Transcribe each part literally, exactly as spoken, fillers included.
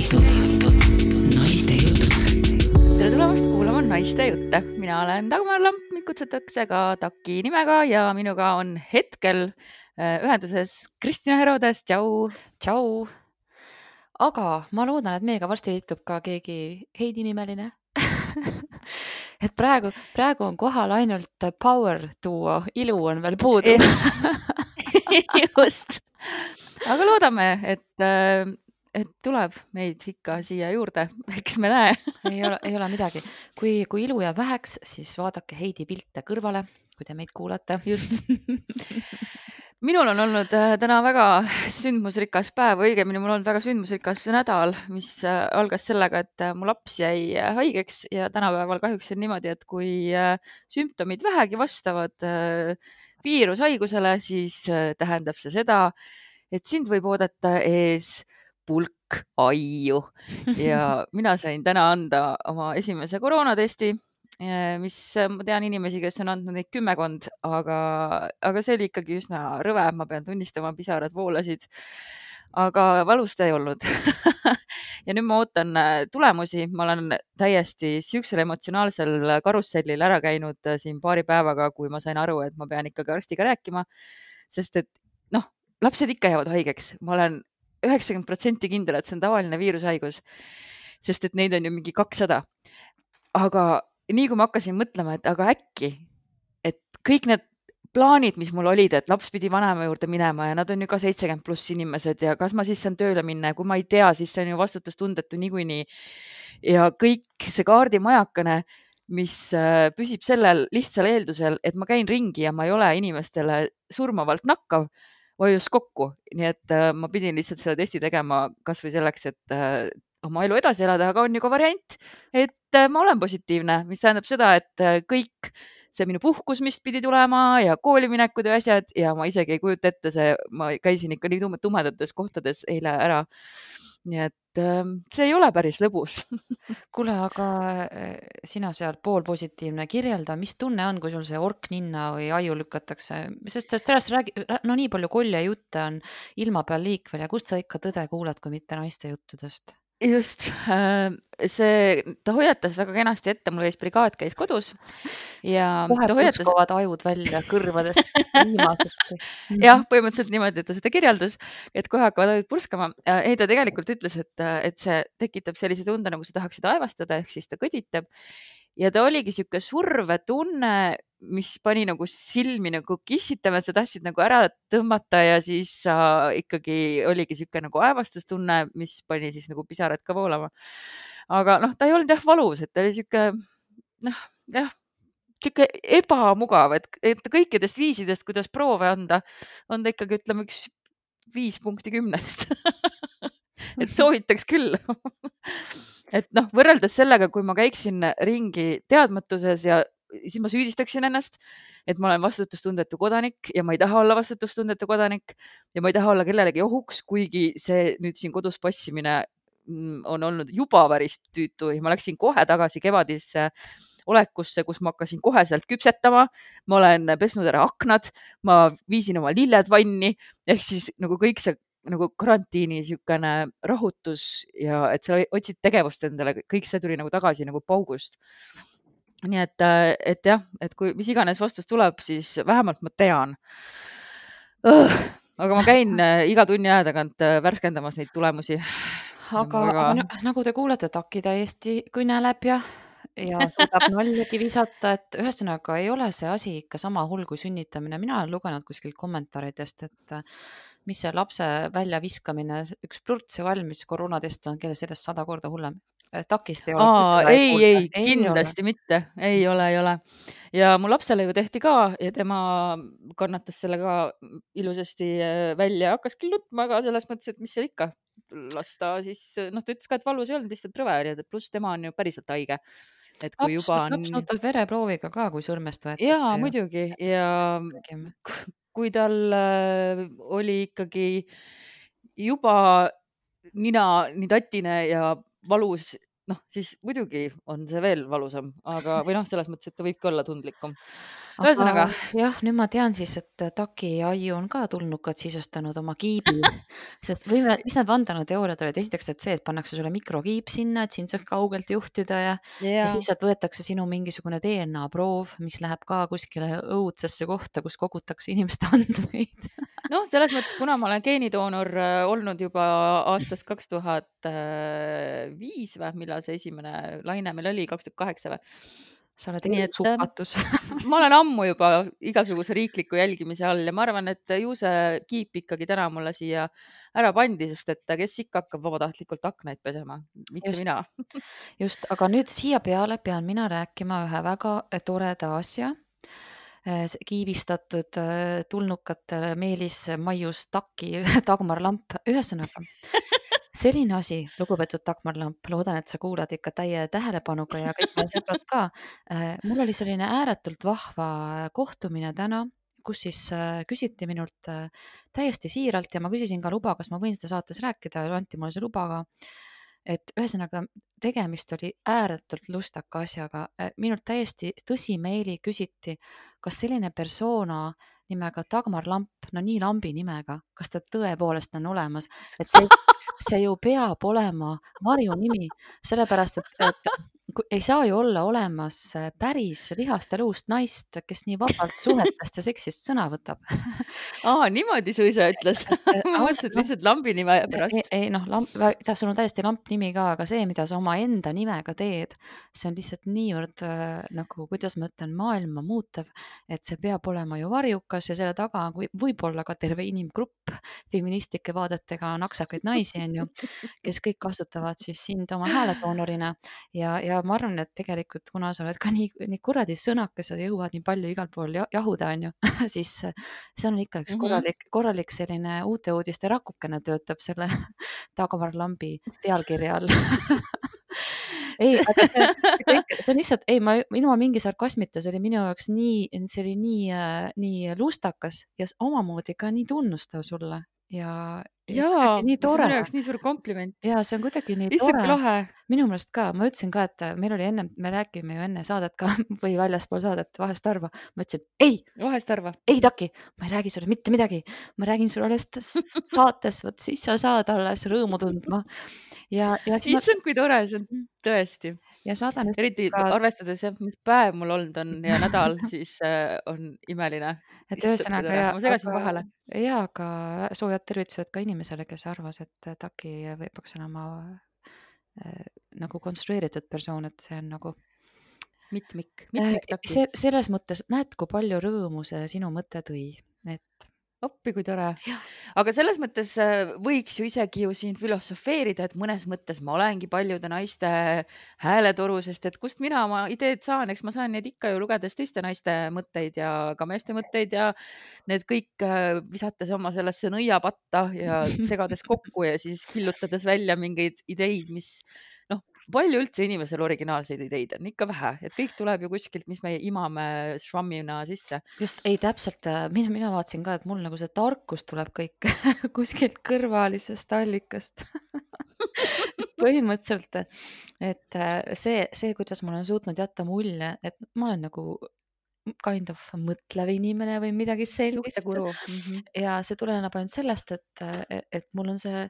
käitud naiste jutud. Tere tulemast kuulama naiste jutte. Mina olen Dagmar Lamp, mind kutsutakse ka Taki nimega ja minuga on hetkel ühenduses Kristina Herodes. Tšau! Tšau! Aga ma loodan, et meiega varsti liitub ka keegi Heidi nimeline. et praegu, praegu on kohal ainult power duo, ilu on veel puudu. Just. Aga loodame, et, et tuleb meid ikka siia juurde. Eks me näe. ei, ole, ei ole midagi. Kui, kui ilu jääb väheks, siis vaadake Heidi pilte kõrvale, kui te meid kuulate. Just. Minul on olnud täna väga sündmusrikas päev, õigemini mul on olnud väga sündmusrikas nädal, mis algas sellega, et mu laps jäi haigeks ja tänapäeval kahjuks on niimoodi, et kui sümptomid vähegi vastavad viirushaigusele, siis tähendab see seda, et sind võib oodata ees pulk aiu ja mina sain täna anda oma esimese koroonatesti, mis ma tean inimesi, kes on andnud neid kümmekond, aga, aga see oli ikkagi üsna rõve, ma pean tunnistama, pisarad voolasid, aga valust ei olnud. ja nüüd ma ootan tulemusi, ma olen täiesti siuksel emotsionaalsel karussellil ära käinud siin paari päevaga, kui ma sain aru, et ma pean ikkagi arstiga rääkima, sest et noh, lapsed ikka jäävad haigeks, ma olen üheksakümmend protsenti kindel, et see on tavaline viirushaigus, sest et neid on ju mingi kakssada. Aga nii kui ma hakkasin mõtlema, et aga äkki, et kõik need plaanid, mis mul olid, et laps pidi vanema juurde minema ja nad on ju ka seitsekümmend pluss inimesed ja kas ma siis saan tööle minna ja kui ma ei tea, siis see on ju vastutustundetu niikuinii. Ja kõik see kaardimajakane, mis püsib sellel lihtsal eeldusel, et ma käin ringi ja ma ei ole inimestele surmavalt nakkav, vajus kokku. Nii et ma pidin lihtsalt selle testi tegema kas või selleks, et oma elu edasi elada, aga on ju ka variant, et ma olen positiivne, mis tähendab seda, et kõik see minu puhkus, mis pidi tulema ja kooliminekud ja asjad ja ma isegi ei kujuta ette see, ma käisin ikka nii tumedates kohtades eile ära. Nii et see ei ole päris lõbus. Kuule, aga sina seal pool positiivne kirjelda, mis tunne on, kui sul see ork ninna või aju lükatakse? Sest sellest räägi, no nii palju kolje jutte on ilma peal liikvel ja kust sa ikka tõde kuuled, kui mitte naiste juttudest? Just, see, ta hoiatas väga kenasti ette, mul käis brigaad käis kodus ja kohe ta hoiatas... purskovad ajud välja kõrvadest viimased. Jah, põhimõtteliselt niimoodi, et ta seda kirjeldas, et kohe hakkavad ajud purskama. Ei, ta tegelikult ütles, et, et see tekitab sellise tunde, nagu sa tahaksid aevastada, ehk siis ta kõditab. Ja ta oligi siuke surve tunne, mis pani nagu silmi nagu kissitama, et sa tahtsid nagu ära tõmmata ja siis sa ikkagi oligi siuke nagu aevastustunne, mis pani siis nagu pisarad ka voolama. Aga noh, ta ei olnud jah valus, et ta oli siuke, noh, jah, siuke ebamugav, et, et kõikidest viisidest, kuidas proove anda, on ta ikkagi, ütleme, üks viis punkti kümnest. et soovitaks küll. Et noh, võrreldes sellega, kui ma käiksin ringi teadmatuses ja siis ma süüdistaksin ennast, et ma olen vastutustundetu kodanik ja ma ei taha olla vastutustundetu kodanik ja ma ei taha olla kellelegi ohuks, kuigi see nüüd siin kodus passimine on olnud juba päris tüütu ja ma läksin kohe tagasi kevadisse olekusse, kus ma hakkasin kohe sealt küpsetama, ma olen pesnud ära aknad, ma viisin oma lilled vanni, ehk siis nagu kõik see nagu karantiini siukene rahutus ja et sa otsid tegevust endale, kõik see tuli nagu tagasi nagu paugust. Nii et, et jah, et kui mis iganes vastus tuleb, siis vähemalt ma tean. Aga ma käin iga tunni aja tagant värskendamas neid tulemusi. Aga, aga... aga nagu te kuulete, Taki täiesti kõneleb ja, ja suudab naljagi visata, et ühesõnaga ei ole see asi ikka sama hull kui sünnitamine. Mina olen lugenud kuskilt kommentaaridest, et mis see lapse välja viskamine, üks plurtsi valmis koroonatest on kelle sellest sada korda hullem. Takist ei ole. Aa, ei, ei, ei, kindlasti ei mitte. Ei ole, ei ole. Ja mu lapsele ju tehti ka ja tema kannatas selle ka ilusasti välja. Hakkas küll nutma, aga selles mõttes, et mis seal ikka lasta siis, noh, ta ütles ka, et valus ei olnud, lihtsalt rõve oli, pluss tema on ju päriselt haige. Et kui laps, juba on... laps nutab vereprooviga ka, kui sõrmest võetakse. Jaa, ja... muidugi. Ja kui tal oli ikkagi juba nina nii tatine ja valus, noh, siis muidugi on see veel valusam, aga või noh, selles mõttes, et ta võibki olla tundlikum. aga ühesõnaga, jah, nüüd ma tean siis, et Taki aiu on ka tulnukad sisustanud oma kiibi, sest või me- mis need vandenõuteooriad olid? Esiteks, et see, et pannakse sulle mikrokiip sinna, et sind saaks kaugelt juhtida ja, ja ja siis lihtsalt võetakse sinu mingisugune D N A proov, mis läheb ka kuskile õudsesse kohta, kus kogutakse inimeste andmeid. noh, selles mõttes, kuna ma olen geenidoonor äh, olnud juba aastast kaks tuhat viis või millal see esimene laine meil oli, kaks tuhat kaheksa või? Sa oled Nii et äh, elusukatus. ma olen ammu juba igasuguse riikliku jälgimise all ja ma arvan, et ju see kiip ikkagi täna mulle siia ära pandi, sest et kes ikka hakkab vabatahtlikult aknaid pesema, mitte Just. mina. Just, aga nüüd siia peale pean mina rääkima ühe väga toreda asja. Eh, s- kiibistatud eh, tulnukatele Meelis Maius Taki Dagmar Lamp. Ühesõnaga, selline asi, lugupeetud Dagmar Lamp, loodan, et sa kuulad ikka täie tähelepanuga ja kõik meie sõbrad ka. Eh, Mul oli selline ääretult vahva kohtumine täna, kus siis eh, küsiti minult eh, täiesti siiralt ja ma küsisin ka luba, kas ma võin seda saates rääkida ja anti mulle see luba ka. Et ühesõnaga, tegemist oli ääretult lustaka asjaga. Eh, Minult täiesti tõsimeeli küsiti, kas selline persona nimega Dagmar Lamp, no nii lambi nimega, kas ta tõepoolest on olemas, et see, see ju peab olema varjunimi, sellepärast et, et ku- ei saa ju olla olemas eh, päris lihast ja luust naist, kes nii vabalt suhetest ja seksist sõna võtab. aa, niimoodi su isa ütles. Sest, eh, ma mõtlesin, ausalt, et noh, lihtsalt lambi nime ei, pärast. ei noh, lamp, ta, sul on täiesti lamp nimi ka, aga see, mida sa omaenda nimega teed, see on lihtsalt niivõrd äh, nagu, kuidas ma ütlen, maailma muutev, et see peab olema ju varjukas ja selle taga võib, võib-olla ka terve inimgrupp feministlike vaadetega naksakaid naisi, on ju, kes kõik kasutavad siis sind oma hääledoonorina ja, ja ma arvan, et tegelikult, kuna sa oled ka nii, nii kuradi sõnakas ja jõuad nii palju igal pool ja- jahuda, on ju, siis äh, see on ikka üks Mhm. korralik, korralik selline uute uudiste rakukene töötab selle Dagmar Lambi pealkirja all. ei, aga see, see kõik, see on lihtsalt, ei, ma ilma mingi sarkasmita, see oli minu jaoks nii, see oli nii, äh, nii lustakas ja s- omamoodi ka nii tunnustav sulle ja, ja jaa, kuidagi nii see on tore. minu jaoks nii suur kompliment. ja see on kuidagi nii issand, tore. kui lahe. Minu meelest ka, ma ütlesin ka, et meil oli enne, me räägime ju enne saadet ka või väljaspool saadet vahest harva. Ma ütlesin, ei, Vahest arva. ei Taki, ma ei räägi sulle mitte midagi, ma räägin sulle alles t- s- saates, vot siis sa saad alles rõõmu tundma. Ja, ja siis ma issand, kui tore, see on tõesti. ja saadan just Eriti ka, arvestades, jah, mis päev mul olnud on ja nädal, siis äh, on imeline. et Issand, kui ühesõnaga tore. ja, Ma segasin aga, vahele. ja, aga soojad tervitused ka inimesele, kes arvas, et Taki või peaks olema äh, nagu konstrueeritud persoon, et see on nagu Mitmik, äh, mitmik taki. se, selles mõttes, näed, kui palju rõõmu see sinu mõte tõi, et appi, kui tore. jah, Aga selles mõttes äh, võiks ju isegi ju siin filosofeerida, et mõnes mõttes ma olengi paljude naiste hääletoru, sest et kust mina oma ideed saan, eks ma saan neid ikka ju lugedes teiste naiste mõtteid ja ka meeste mõtteid ja need kõik äh, visates oma sellesse nõiapatta ja segades kokku ja siis killutades välja mingeid ideid, mis noh, palju üldse inimesel originaalseid ideid on, ikka vähe, et kõik tuleb ju kuskilt, mis me imame švammina sisse. just ei täpselt, äh, mina, mina vaatasin ka, et mul nagu see tarkus tuleb kõik kuskilt kõrvalisest allikast. põhimõtteliselt, et äh, see, see, kuidas ma olen suutnud jätta mulje, et ma olen nagu kind of mõtlev inimene või midagi sellist. Suhtekuru. Mhm. ja see tuleneb ainult sellest, et, et mul on see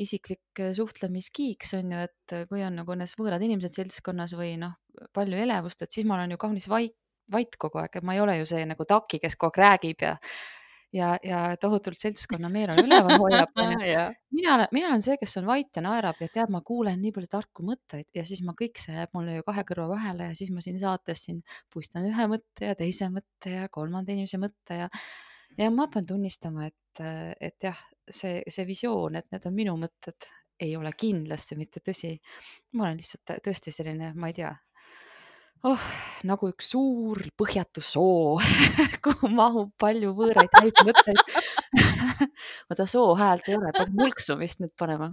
isiklik suhtlemiskiiks on ju, et kui on nagu need võõrad inimesed seltskonnas või noh, palju elevust, et siis ma olen ju kaunis vait, vait kogu aeg, et ma ei ole ju see nagu Taki, kes kogu aeg räägib ja ja, ja tohutult seltskonna meeleolu üleval hoiab. onju. Ah, jah. mina olen, mina olen see, kes on vait ja naerab ja teab, ma kuulen nii palju tarku mõtteid ja siis ma kõik see jääb mulle ju kahe kõrva vahele ja siis ma siin saates siin puistan ühe mõtte ja teise mõtte ja kolmanda inimese mõtte ja ja ma pean tunnistama, et, et jah, see, see visioon, et need on minu mõtted, ei ole kindlasti mitte tõsi. ma olen lihtsalt tõesti selline, ma ei tea, oh, nagu üks suur põhjatu soo, kuhu mahub palju võõraid häid mõtteid. oota, soo häält ei ole, peab mulksumist nüüd panema.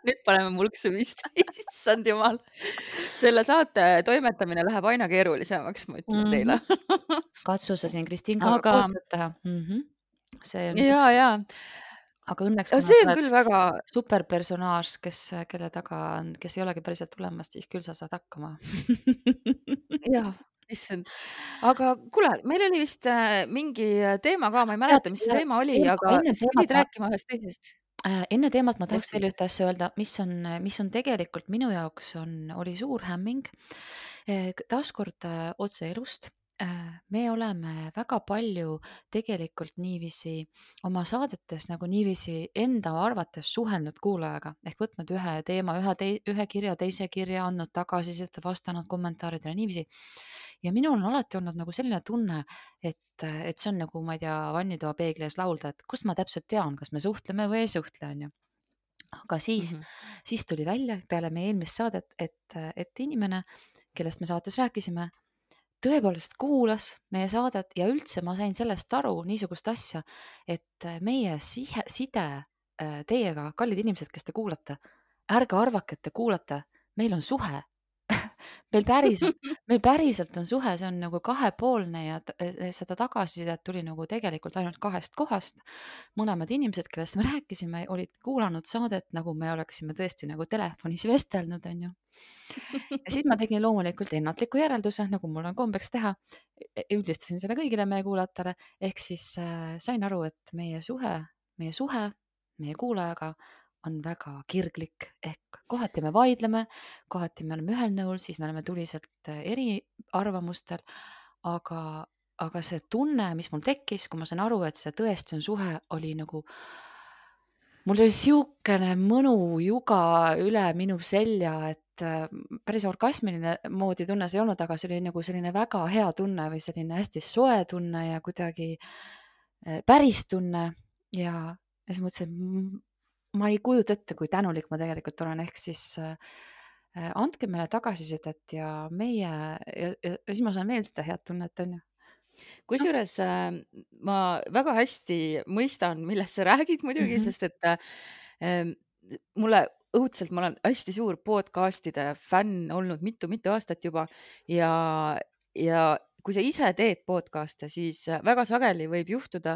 Nüüd paneme mulksumist. Issand jumal. Selle saate toimetamine läheb aina keerulisemaks, ma ütlen Mhm. teile. katsu sa siin Kristinkaga Aga koostööd teha. Mhm. see on ja, üks, ja. aga õnneks, Ja kuna see sa on oled küll väga, superpersonaaž, kes, kelle taga on, kes ei olegi päriselt tulemas, siis küll sa saad hakkama. jah, issand. Aga kuule, meil oli vist äh, mingi teema ka, ma ei Tead, mäleta, mis see ja teema oli, teema, aga enne sa teemat pidid ma, rääkima ühest teisest äh, enne teemat ma tahaks veel vestlustest. ühte asja öelda, mis on, mis on tegelikult minu jaoks on, oli suur hämming. Eh, k- Taaskord äh, otse elust. Äh, Me oleme väga palju tegelikult niiviisi oma saadetes nagu niiviisi enda arvates suhelnud kuulajaga ehk võtnud ühe teema, ühe, tei, ühe kirja, teise kirja, andnud tagasisidet, vastanud kommentaaridele niiviisi. Ja minul on alati olnud nagu selline tunne, et, et see on nagu, ma ei tea, vannitoa peegli ees laulda, et kust ma täpselt tean, kas me suhtleme või ei suhtle, on ju. Aga siis, Mhm. siis tuli välja peale meie eelmist saadet, et, et inimene, kellest me saates rääkisime, tõepoolest kuulas meie saadet ja üldse ma sain sellest aru niisugust asja, et meie sihe, side äh, teiega, kallid inimesed, kes te kuulate, ärge arvake, et te kuulate, meil on suhe. meil päriselt, meil päriselt on suhe, see on nagu kahepoolne ja t- eh, seda tagasisidet tuli nagu tegelikult ainult kahest kohast. Mõlemad inimesed, kellest me rääkisime, olid kuulanud saadet, nagu me oleksime tõesti nagu telefonis vestelnud, on ju. Ja siis ma tegin loomulikult ennatliku järelduse, nagu mul on kombeks teha. E- Üldistasin selle kõigile meie kuulajatele, ehk siis äh, sain aru, et meie suhe, meie suhe meie kuulajaga on väga kirglik, ehk kohati me vaidleme, kohati me oleme ühel nõul, siis me oleme tuliselt äh, eriarvamustel, aga, aga see tunne, mis mul tekkis, kui ma sain aru, et see tõesti on suhe, oli nagu, mul oli siukene mõnu juga üle minu selja, et äh, päris orgasmiline moodi tunne see ei olnud, aga see oli nagu selline väga hea tunne või selline hästi soe tunne ja kuidagi äh, päris tunne ja, ja siis mõtlesin, et ma ei kujuta ette, kui tänulik ma tegelikult olen, ehk siis äh, äh, andke meile tagasisidet ja meie ja, ja, ja siis ma saan veel seda head tunnet, on ju. Kusjuures äh, ma väga hästi mõistan, millest sa räägid muidugi, Mhm. sest et äh, mulle õudselt, ma olen hästi suur podcast'ide fänn olnud mitu-mitu aastat juba ja, ja kui sa ise teed podcast'e, siis äh, väga sageli võib juhtuda,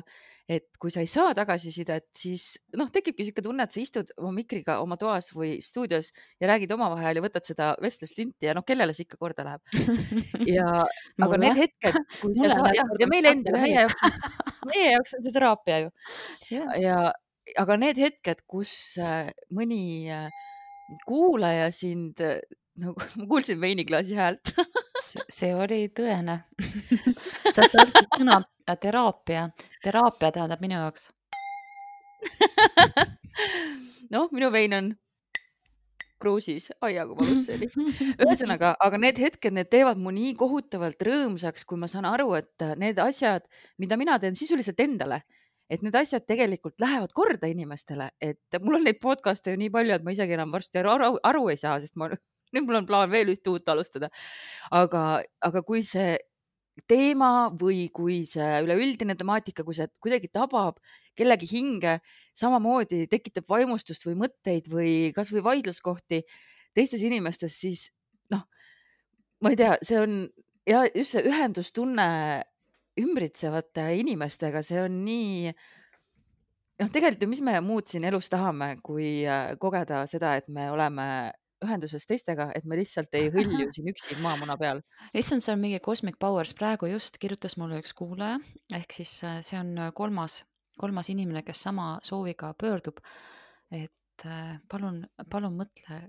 et kui sa ei saa tagasisidet, siis noh, tekibki niisugune tunne, et sa istud oma mikriga oma toas või stuudios ja räägid omavahel ja võtad seda vestluslinti ja noh, kellele see ikka korda läheb. Ja aga Mulle, need hetked, kui sa mulle saa- läheb jah, korda, ja kui meile Sander endale, meie räägib. jaoks on, meie jaoks on see teraapia ju. Jah. Ja aga need hetked, kus äh, mõni äh, kuulaja sind äh, nagu ma kuulsin veiniklaasi häält. See, see oli tõene. sa saad sõna äh, teraapia. Teraapia tähendab minu jaoks. noh, minu vein on kruusis, aia kui valus see oli. Ühesõnaga, aga need hetked, need teevad mu nii kohutavalt rõõmsaks, kui ma saan aru, et need asjad, mida mina teen sisuliselt endale, et need asjad tegelikult lähevad korda inimestele, et mul on neid podcast'e ju nii palju, et ma isegi enam varsti aru, aru, aru ei saa, sest ma nüüd mul on plaan veel ühte uut alustada. aga, aga kui see teema või kui see üleüldine temaatika, kui see kuidagi tabab kellegi hinge, samamoodi tekitab vaimustust või mõtteid või kasvõi vaidluskohti teistes inimestes, siis noh, ma ei tea, see on ja just see ühendustunne ümbritsevate inimestega, see on nii noh, tegelikult ju, mis me muud siin elus tahame, kui äh, kogeda seda, et me oleme ühenduses teistega, et me lihtsalt ei hõlju siin üksi maamuna peal. issand, see on mingi Cosmic Powers. Praegu just kirjutas mulle üks kuulaja, ehk siis äh, see on äh, kolmas, kolmas inimene, kes sama sooviga pöördub. Et äh, palun, palun mõtle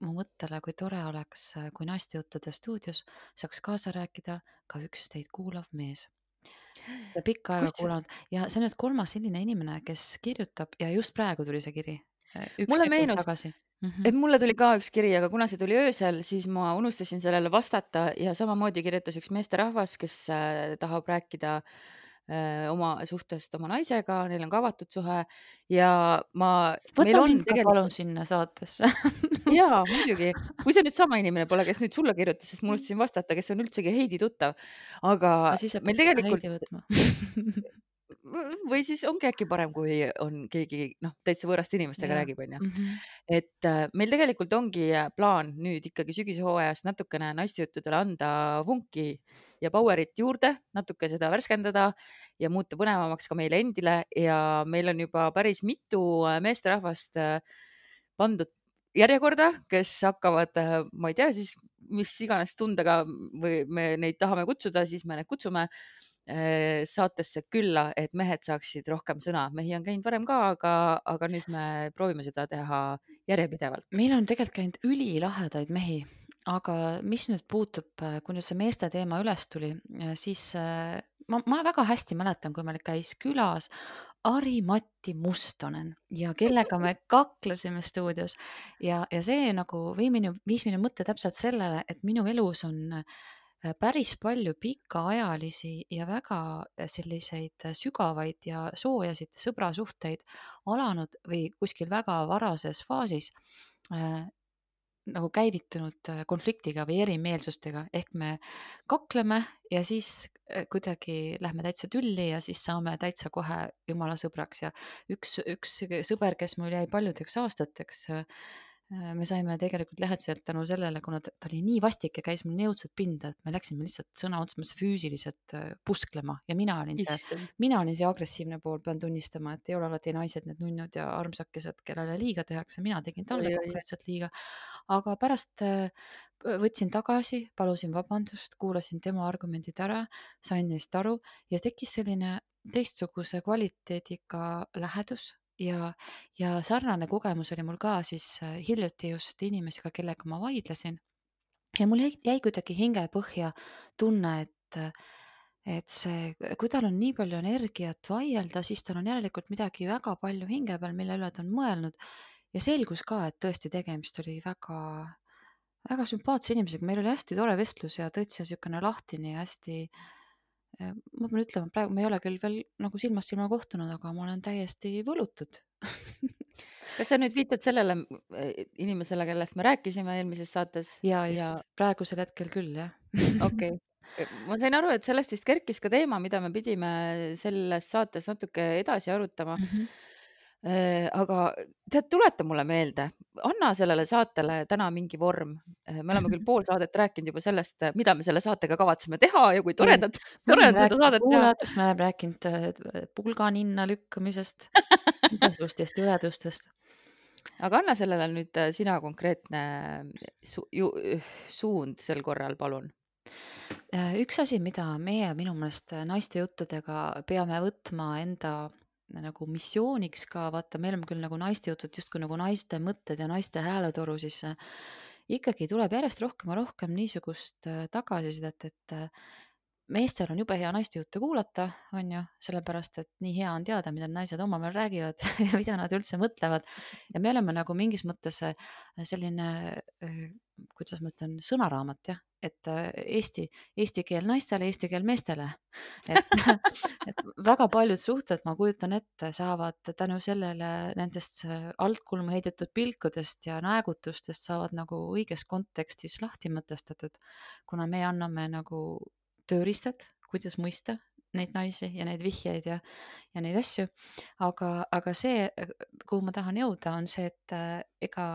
mu mõttele, kui tore oleks, äh, kui naistejuttude stuudios saaks kaasa rääkida ka üks teid kuulav mees. Ja pikka aega Kus- kuulanud ja see on nüüd kolmas selline inimene, kes kirjutab ja just praegu tuli see kiri. äh, Üks Mulle sekund meenus- tagasi. Mhm. et mulle tuli ka üks kiri, aga kuna see tuli öösel, siis ma unustasin sellele vastata ja samamoodi kirjutas üks meesterahvas, kes äh, tahab rääkida äh, oma suhtest oma naisega, neil on ka avatud suhe ja ma, meil Võta on mind ka tegelikult palun sinna saatesse. jaa, muidugi, kui see nüüd sama inimene pole, kes nüüd sulle kirjutas, sest ma unustasin vastata, kes on üldsegi Heidi tuttav, aga Aga siis sa meil peaks seda tegelikult Heidi võtma. või siis ongi äkki parem, kui on keegi noh, täitsa võõraste inimestega Jah. räägib, onju. Mhm. Et äh, meil tegelikult ongi äh, plaan nüüd ikkagi sügishooajast natukene naistejuttudele anda vunki ja powerit juurde, natuke seda värskendada ja muuta põnevamaks ka meile endile ja meil on juba päris mitu äh, meesterahvast äh, pandud järjekorda, kes hakkavad, äh, ma ei tea siis, mis iganes tundega või me neid tahame kutsuda, siis me need kutsume äh, saatesse külla, et mehed saaksid rohkem sõna. Mehi on käinud varem ka, aga, aga nüüd me proovime seda teha järjepidevalt. Meil on tegelikult käinud ülilahedaid mehi, aga mis nüüd puutub, äh, kui nüüd see meeste teema üles tuli, äh, siis äh, ma, ma väga hästi mäletan, kui meil käis külas Ari-Matti Mustonen ja kellega me kaklesime stuudios ja, ja see nagu vii minu, viis minu mõtte täpselt sellele, et minu elus on äh, päris palju pikaajalisi ja väga selliseid sügavaid ja soojasid sõbrasuhteid alanud või kuskil väga varases faasis äh, nagu käivitunud äh, konfliktiga või erimeelsustega, ehk me kakleme ja siis äh, kuidagi lähme täitsa tülli ja siis saame täitsa kohe jumala sõbraks ja üks, üks sõber, kes mul jäi paljudeks aastateks, äh, me saime tegelikult lähedaselt tänu sellele, kuna ta, ta oli nii vastik ja käis mul nii õudselt pinda, et me läksime lihtsalt sõna otseses mõttes füüsiliselt äh, pusklema ja mina olin see, Issand. mina olin see agressiivne pool, pean tunnistama, et ei ole alati naised need nunnud ja armsakesed, kellele liiga tehakse, mina tegin talle Oi, oi. konkreetselt liiga. Aga pärast äh, võtsin tagasi, palusin vabandust, kuulasin tema argumendid ära, sain neist aru ja tekkis selline teistsuguse kvaliteediga lähedus ja, ja sarnane kogemus oli mul ka siis äh, hiljuti just inimesega, kellega ma vaidlesin. Ja mul jäi, jäi kuidagi hingepõhja tunne, et, et see, kui tal on nii palju energiat vaielda, siis tal on järelikult midagi väga palju hinge peal, mille üle ta on mõelnud. Ja selgus ka, et tõesti tegemist oli väga, väga sümpaatse inimesega. Meil oli hästi tore vestlus ja tõesti niisugune lahtine ja hästi, eh, ma pean ütlema, praegu me ei ole küll veel nagu silmast silma kohtunud, aga ma olen täiesti võlutud. Kas sa nüüd viitad sellele eh, inimesele, kellest me rääkisime eelmises saates? ja just, praegusel hetkel küll, jah. okei. Ma sain aru, et sellest vist kerkis ka teema, mida me pidime selles saates natuke edasi arutama. Mhm. Eh, aga tead, tuleta mulle meelde, anna sellele saatele täna mingi vorm. Eh, Me oleme küll pool saadet rääkinud juba sellest, eh, mida me selle saatega kavatseme teha ja kui toredad, Me tore oleme on seda rääkinud saadet teha. kuulajatest, me oleme rääkinud äh, pulganinna lükkamisest, igasugustest jõledustest. Aga anna sellele nüüd eh, sina konkreetne su ju suund sel korral, palun. Äh, Üks asi, mida meie minu meelest naiste juttudega peame võtma enda nagu missiooniks ka, vaata, me oleme küll nagu naiste jutud justkui nagu naiste mõtted ja naiste hääletoru, siis äh, ikkagi tuleb järjest rohkem ja rohkem niisugust äh, tagasisidet, et äh, meestel on jube hea naiste jutte kuulata, on ju, sellepärast, et nii hea on teada, mida naised omavahel räägivad ja mida nad üldse mõtlevad. Ja me oleme nagu mingis mõttes äh, selline, äh, kuidas ma ütlen, sõnaraamat, jah, et äh, Eesti, eesti keel naistele, eesti keel meestele. Et, et väga paljud suhted, ma kujutan ette, saavad tänu sellele nendest äh, altkulmu heidetud pilkudest ja naegutustest saavad nagu õiges kontekstis lahti mõtestatud, kuna me anname nagu tööriistad, kuidas mõista neid naisi ja neid vihjeid ja, ja neid asju. Aga, aga see, kuhu ma tahan jõuda, on see, et äh, ega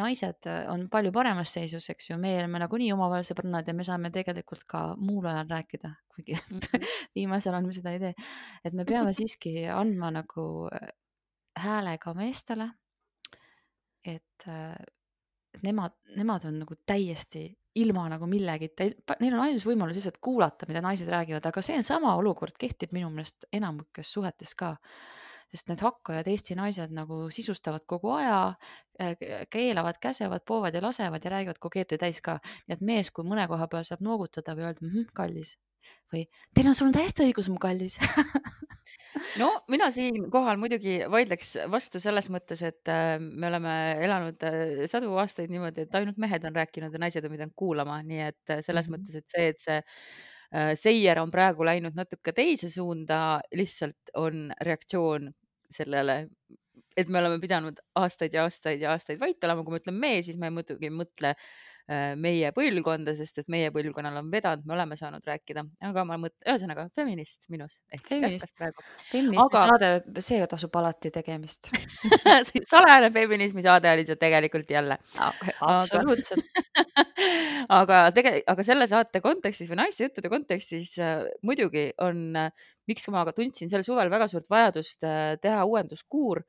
naised äh, on palju paremas seisus, eks ju, me oleme nagunii omavahel sõbrannad ja me saame tegelikult ka muul ajal rääkida, kuigi Mhm. viimasel ajal me seda ei tee. Et me peame siiski andma nagu äh, hääle ka meestele, et, äh, et nemad, nemad on nagu täiesti ilma nagu millegita, neil on ainus võimalus lihtsalt kuulata, mida naised räägivad, aga see on sama olukord, kehtib minu meelest enamikes suhetes ka. Sest need hakkajad Eesti naised nagu sisustavad kogu aja, äh, keelavad, käsevad, poovad ja lasevad ja räägivad kogeeti täis ka. Nii et mees, kui mõne koha peal saab noogutada või öelda, mhm, kallis. Või teil on, sul on täiesti õigus, mu kallis. No mina siinkohal muidugi vaidleks vastu selles mõttes, et äh, me oleme elanud äh, sadu aastaid niimoodi, et ainult mehed on rääkinud ja naised on pidanud kuulama, nii et äh, selles Mhm. mõttes, et see, et see äh, seier on praegu läinud natuke teise suunda, lihtsalt on reaktsioon sellele, et me oleme pidanud aastaid ja aastaid ja aastaid vait olema. Kui ma ütlen me, siis ma muidugi ei mõtle äh, meie põlvkonda, sest et meie põlvkonnal on vedanud, me oleme saanud rääkida, aga ma mõt-, ühesõnaga feminist minus ehk siis Feminist, ärkas praegu. feminismi Aga saade, see tasub alati tegemist. salajane feminismi saade oli see tegelikult jälle. Aga, Absoluutselt. aga tege-, aga selle saate kontekstis või naiste juttude kontekstis äh, muidugi on, äh, miks ma aga tundsin sel suvel väga suurt vajadust äh, teha uuenduskuur,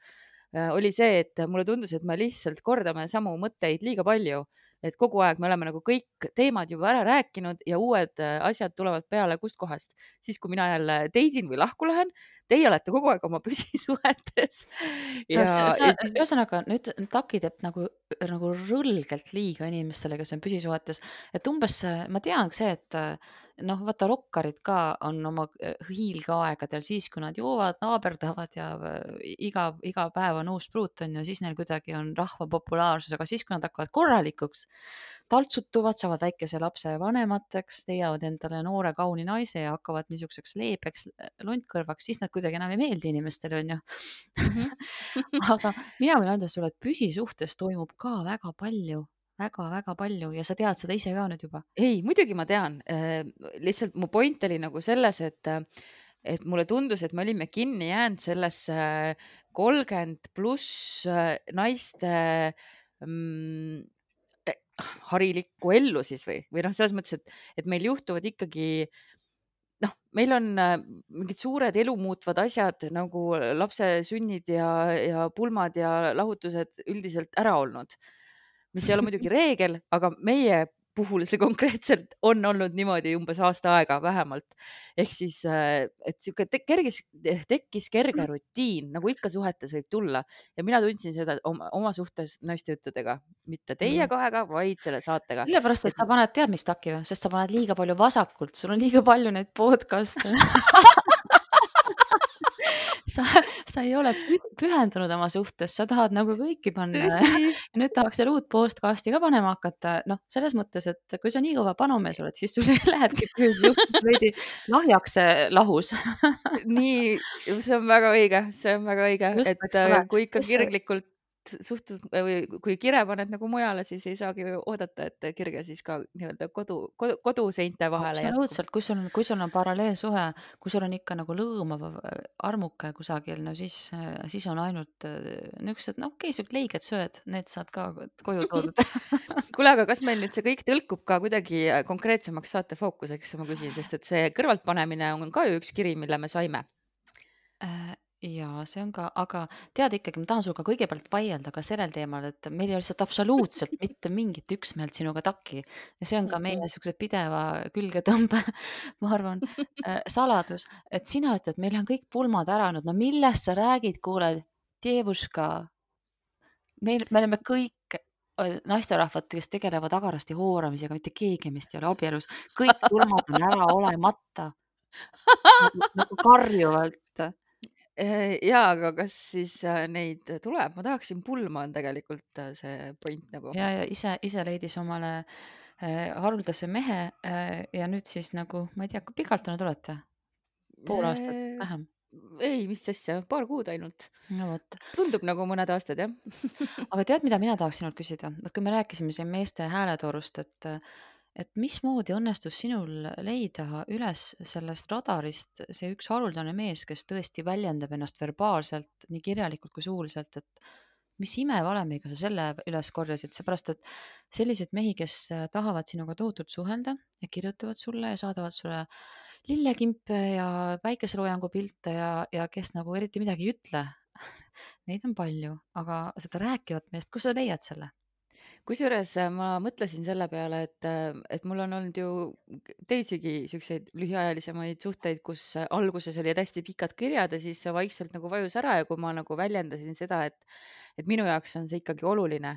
äh, oli see, et mulle tundus, et me lihtsalt kordame samu mõtteid liiga palju, et kogu aeg me oleme nagu kõik teemad juba ära rääkinud ja uued äh, asjad tulevad peale kust kohast. Siis, kui mina jälle teidin või lahku lähen, teie olete kogu aeg oma püsisuhetes. No, Ja, sa, ja sa, siis, ühesõnaga nüüd Taki teeb nagu, nagu rõlgelt liiga inimestele, kes on püsisuhetes, et umbes äh, ma tean see, et äh, noh, vaata rokkarid ka on oma äh, hiilgeaegadel siis, kui nad joovad, naaberdavad ja äh, iga, iga päev on uus pruut on ju, siis neil kuidagi on rahva populaarsus, aga siis, kui nad hakkavad korralikuks, taltsutuvad, saavad väikese lapse vanemateks, leiavad endale noore kauni naise ja hakkavad niisuguseks leebeks lontkõrvaks, siis nad kuidagi enam ei meeldi inimestele, on ju. mhm. Aga mina võin öelda sulle, et püsisuhtes toimub ka väga palju, väga-väga palju ja sa tead seda ise ka nüüd juba. Ei, muidugi ma tean. Äh, Lihtsalt mu point oli nagu selles, et, äh, et mulle tundus, et me olime kinni jäänud sellesse kolmkümmend pluss äh, naiste mm, eh, harilikku ellu siis või, või noh, selles mõttes, et, et meil juhtuvad ikkagi, noh, meil on äh, mingid suured elu muutvad asjad nagu lapse sünnid ja, ja pulmad ja lahutused üldiselt ära olnud, mis ei ole muidugi reegel, aga meie puhul see konkreetselt on olnud niimoodi umbes aasta aega vähemalt. Ehk siis, äh, et sihuke te- kergis, tekkis kerge rutiin, nagu ikka suhetes võib tulla. Ja mina tundsin seda oma, oma suhtes naiste juttudega, mitte teie kahega, vaid selle saatega. Sellepärast, et Et sa paned tead, mis Taki või, sest sa paned liiga palju vasakult, sul on liiga palju neid podcast'e. sa, sa ei ole pü- pühendunud oma suhtes, sa tahad nagu kõiki panna. tõsi, Ja nüüd tahaks veel uut podcast'i ka panema hakata. Noh, selles mõttes, et kui sa nii kõva panumees oled, siis sul lähebki püüd veidi lahjaks see lahus. nii, see on väga õige, see on väga õige, Just, et eks äh, ole. kui ikka Kes see- kirglikult suhtud või kui kire paned nagu mujale, siis ei saagi ju oodata, et kirge siis ka nii-öelda kodu, kodu, koduseinte vahele jätkub. Absoluutselt, kui sul on, kui sul on paralleelsuhe, kui sul on ikka nagu lõõmav äh, armuke kusagil, no siis, äh, siis on ainult äh, niisugused, no okei, siuksed leiged sööd, need saad ka koju toodud. Kuule, aga kas meil nüüd see kõik tõlkub ka kuidagi konkreetsemaks saate fookuseks, ma küsin, sest et see kõrvaltpanemine on ka ju üks kiri, mille me saime. Äh, ja see on ka, aga tead ikkagi, ma tahan sinuga kõigepealt vaielda ka sellel teemal, et meil ei ole lihtsalt absoluutselt mitte mingit üksmeelt sinuga Taki ja see on ka meie niisuguse pideva külgetõmbe, ma arvan, äh, saladus, et sina ütled, meil on kõik pulmad ära olnud, no millest sa räägid, kuule, Dievuška, meil, me oleme kõik äh, naisterahvad, kes tegelevad agarasti hooramisega, mitte keegi meist ei ole abielus, kõik pulmad on ära olemata, nagu, nagu karjuvalt. Eh, Jaa, aga kas siis äh, neid tuleb? Ma tahaksin pulma on tegelikult äh, see point nagu. ja, ja ise, ise leidis omale äh, haruldase mehe äh, ja nüüd siis nagu, ma ei tea, kui pikalt te nüüd olete? Pool aastat Eh, vähem. Ei, mis asja, paar kuud ainult. No vot. Tundub nagu mõned aastad, jah. Aga tead, mida mina tahaks sinult küsida? Et kui me rääkisime siin meeste hääletoorust, et, et mismoodi õnnestus sinul leida üles sellest radarist see üks haruldane mees, kes tõesti väljendab ennast verbaalselt, nii kirjalikult kui suuliselt, et mis imevalemiga sa selle üles korjasid, seepärast et selliseid mehi, kes tahavad sinuga tohutult suhelda ja kirjutavad sulle ja saadavad sulle lillekimpe ja päikeseloojangu pilte ja, ja kes nagu eriti midagi ei ütle, neid on palju, aga seda rääkivat meest, kus sa leiad selle? Kusjuures äh, ma mõtlesin selle peale, et, äh, et mul on olnud ju teisigi siukseid lühiajalisemaid suhteid, kus äh, alguses olid hästi pikad kirjad ja siis see vaikselt nagu vajus ära ja kui ma nagu väljendasin seda, et, et minu jaoks on see ikkagi oluline,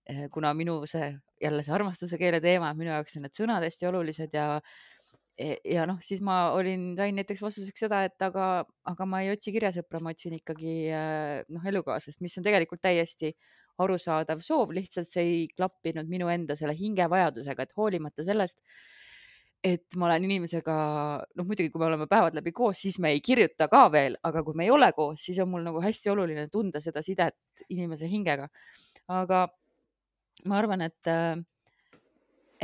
eh, kuna minu see, jälle see armastuse keele teema, minu jaoks on need sõnad hästi olulised ja e- ja noh, siis ma olin, sain näiteks vastuseks seda, et aga, aga ma ei otsi kirjasõpra, ma otsin ikkagi äh, noh, elukaaslast, mis on tegelikult täiesti arusaadav soov, lihtsalt see ei klappinud minu enda selle hingevajadusega, et hoolimata sellest, et ma olen inimesega, noh muidugi, kui me oleme päevad läbi koos, siis me ei kirjuta ka veel, aga kui me ei ole koos, siis on mul nagu hästi oluline tunda seda sidet inimese hingega. Aga ma arvan, et,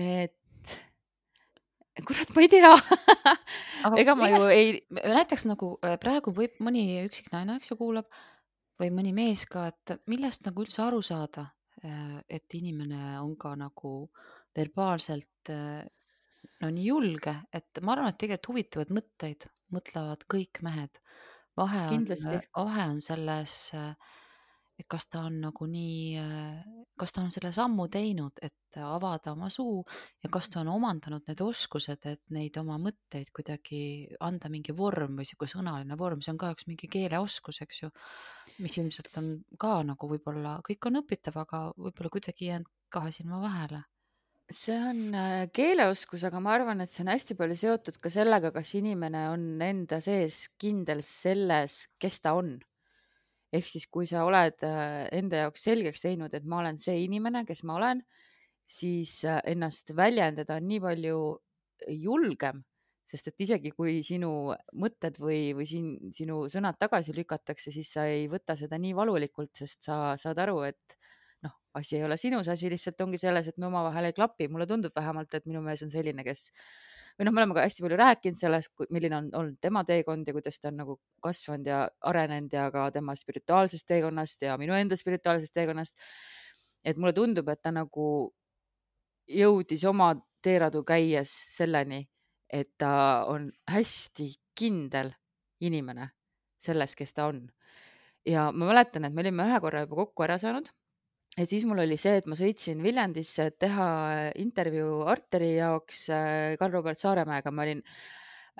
et kurat, ma ei tea Aga ega ma ju millest ei, näiteks nagu äh, praegu võib mõni üksik naine, eks ju, kuulab või mõni mees ka, et millest nagu üldse aru saada, äh, et inimene on ka nagu verbaalselt äh, no nii julge, et ma arvan, et tegelikult huvitavaid mõtteid mõtlevad kõik mehed. Vahe on, kindlasti. vahe on selles, äh, et kas ta on nagu nii, äh, kas ta on selle sammu teinud, et avada oma suu ja kas ta on omandanud need oskused, et neid oma mõtteid kuidagi anda mingi vorm või sihuke sõnaline vorm, see on ka üks mingi keeleoskus, eks ju, mis ilmselt on ka nagu võib-olla, kõik on õpitav, aga võib-olla kuidagi jäänud kahe silma vahele. See on äh, keeleoskus, aga ma arvan, et see on hästi palju seotud ka sellega, kas inimene on enda sees kindel selles, kes ta on. Ehk siis, kui sa oled äh, enda jaoks selgeks teinud, et ma olen see inimene, kes ma olen, siis äh, ennast väljendada on nii palju julgem, sest et isegi kui sinu mõtted või, või siin, sinu sõnad tagasi lükatakse, siis sa ei võta seda nii valulikult, sest sa saad aru, et noh, asi ei ole sinus, asi lihtsalt ongi selles, et me omavahel ei klapi. Mulle tundub vähemalt, et minu mees on selline, kes või noh, me oleme ka hästi palju rääkinud sellest, milline on olnud tema teekond ja kuidas ta on nagu kasvanud ja arenenud ja ka tema spirituaalsest teekonnast ja minu enda spirituaalsest teekonnast. Et mulle tundub, et ta nagu jõudis oma teeradu käies selleni, et ta on hästi kindel inimene selles, kes ta on. Ja ma mäletan, et me olime ühe korra juba kokku ära saanud ja siis mul oli see, et ma sõitsin Viljandisse, et teha intervjuu Arteri jaoks äh, Karl-Robert Saaremäega. Ma olin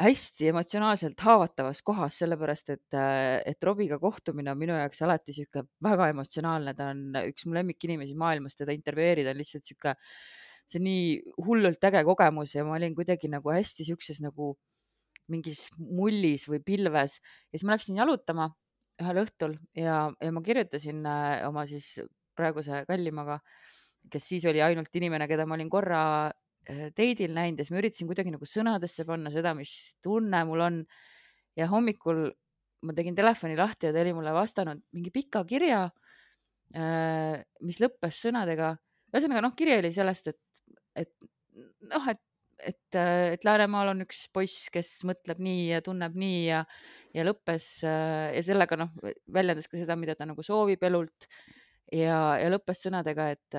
hästi emotsionaalselt haavatavas kohas, sellepärast et, äh, et Robiga kohtumine on minu jaoks alati sihuke väga emotsionaalne. Ta on üks mu lemmikinimesi maailmas, teda intervjueerida on lihtsalt sihuke, see on nii hullult äge kogemus ja ma olin kuidagi nagu hästi siukses nagu mingis mullis või pilves ja siis ma läksin jalutama ühel õhtul ja, ja ma kirjutasin äh, oma siis praeguse kallimaga, kes siis oli ainult inimene, keda ma olin korra äh, date'il näinud ja siis ma üritasin kuidagi nagu sõnadesse panna seda, mis tunne mul on. Ja hommikul ma tegin telefoni lahti ja ta oli mulle vastanud mingi pika kirja, äh, mis lõppes sõnadega. Ühesõnaga, noh, kiri oli sellest, et, et noh, et et, et Läänemaal on üks poiss, kes mõtleb nii ja tunneb nii ja, ja lõppes ja sellega noh, väljendas ka seda, mida ta nagu soovib elult ja, ja lõppes sõnadega, et,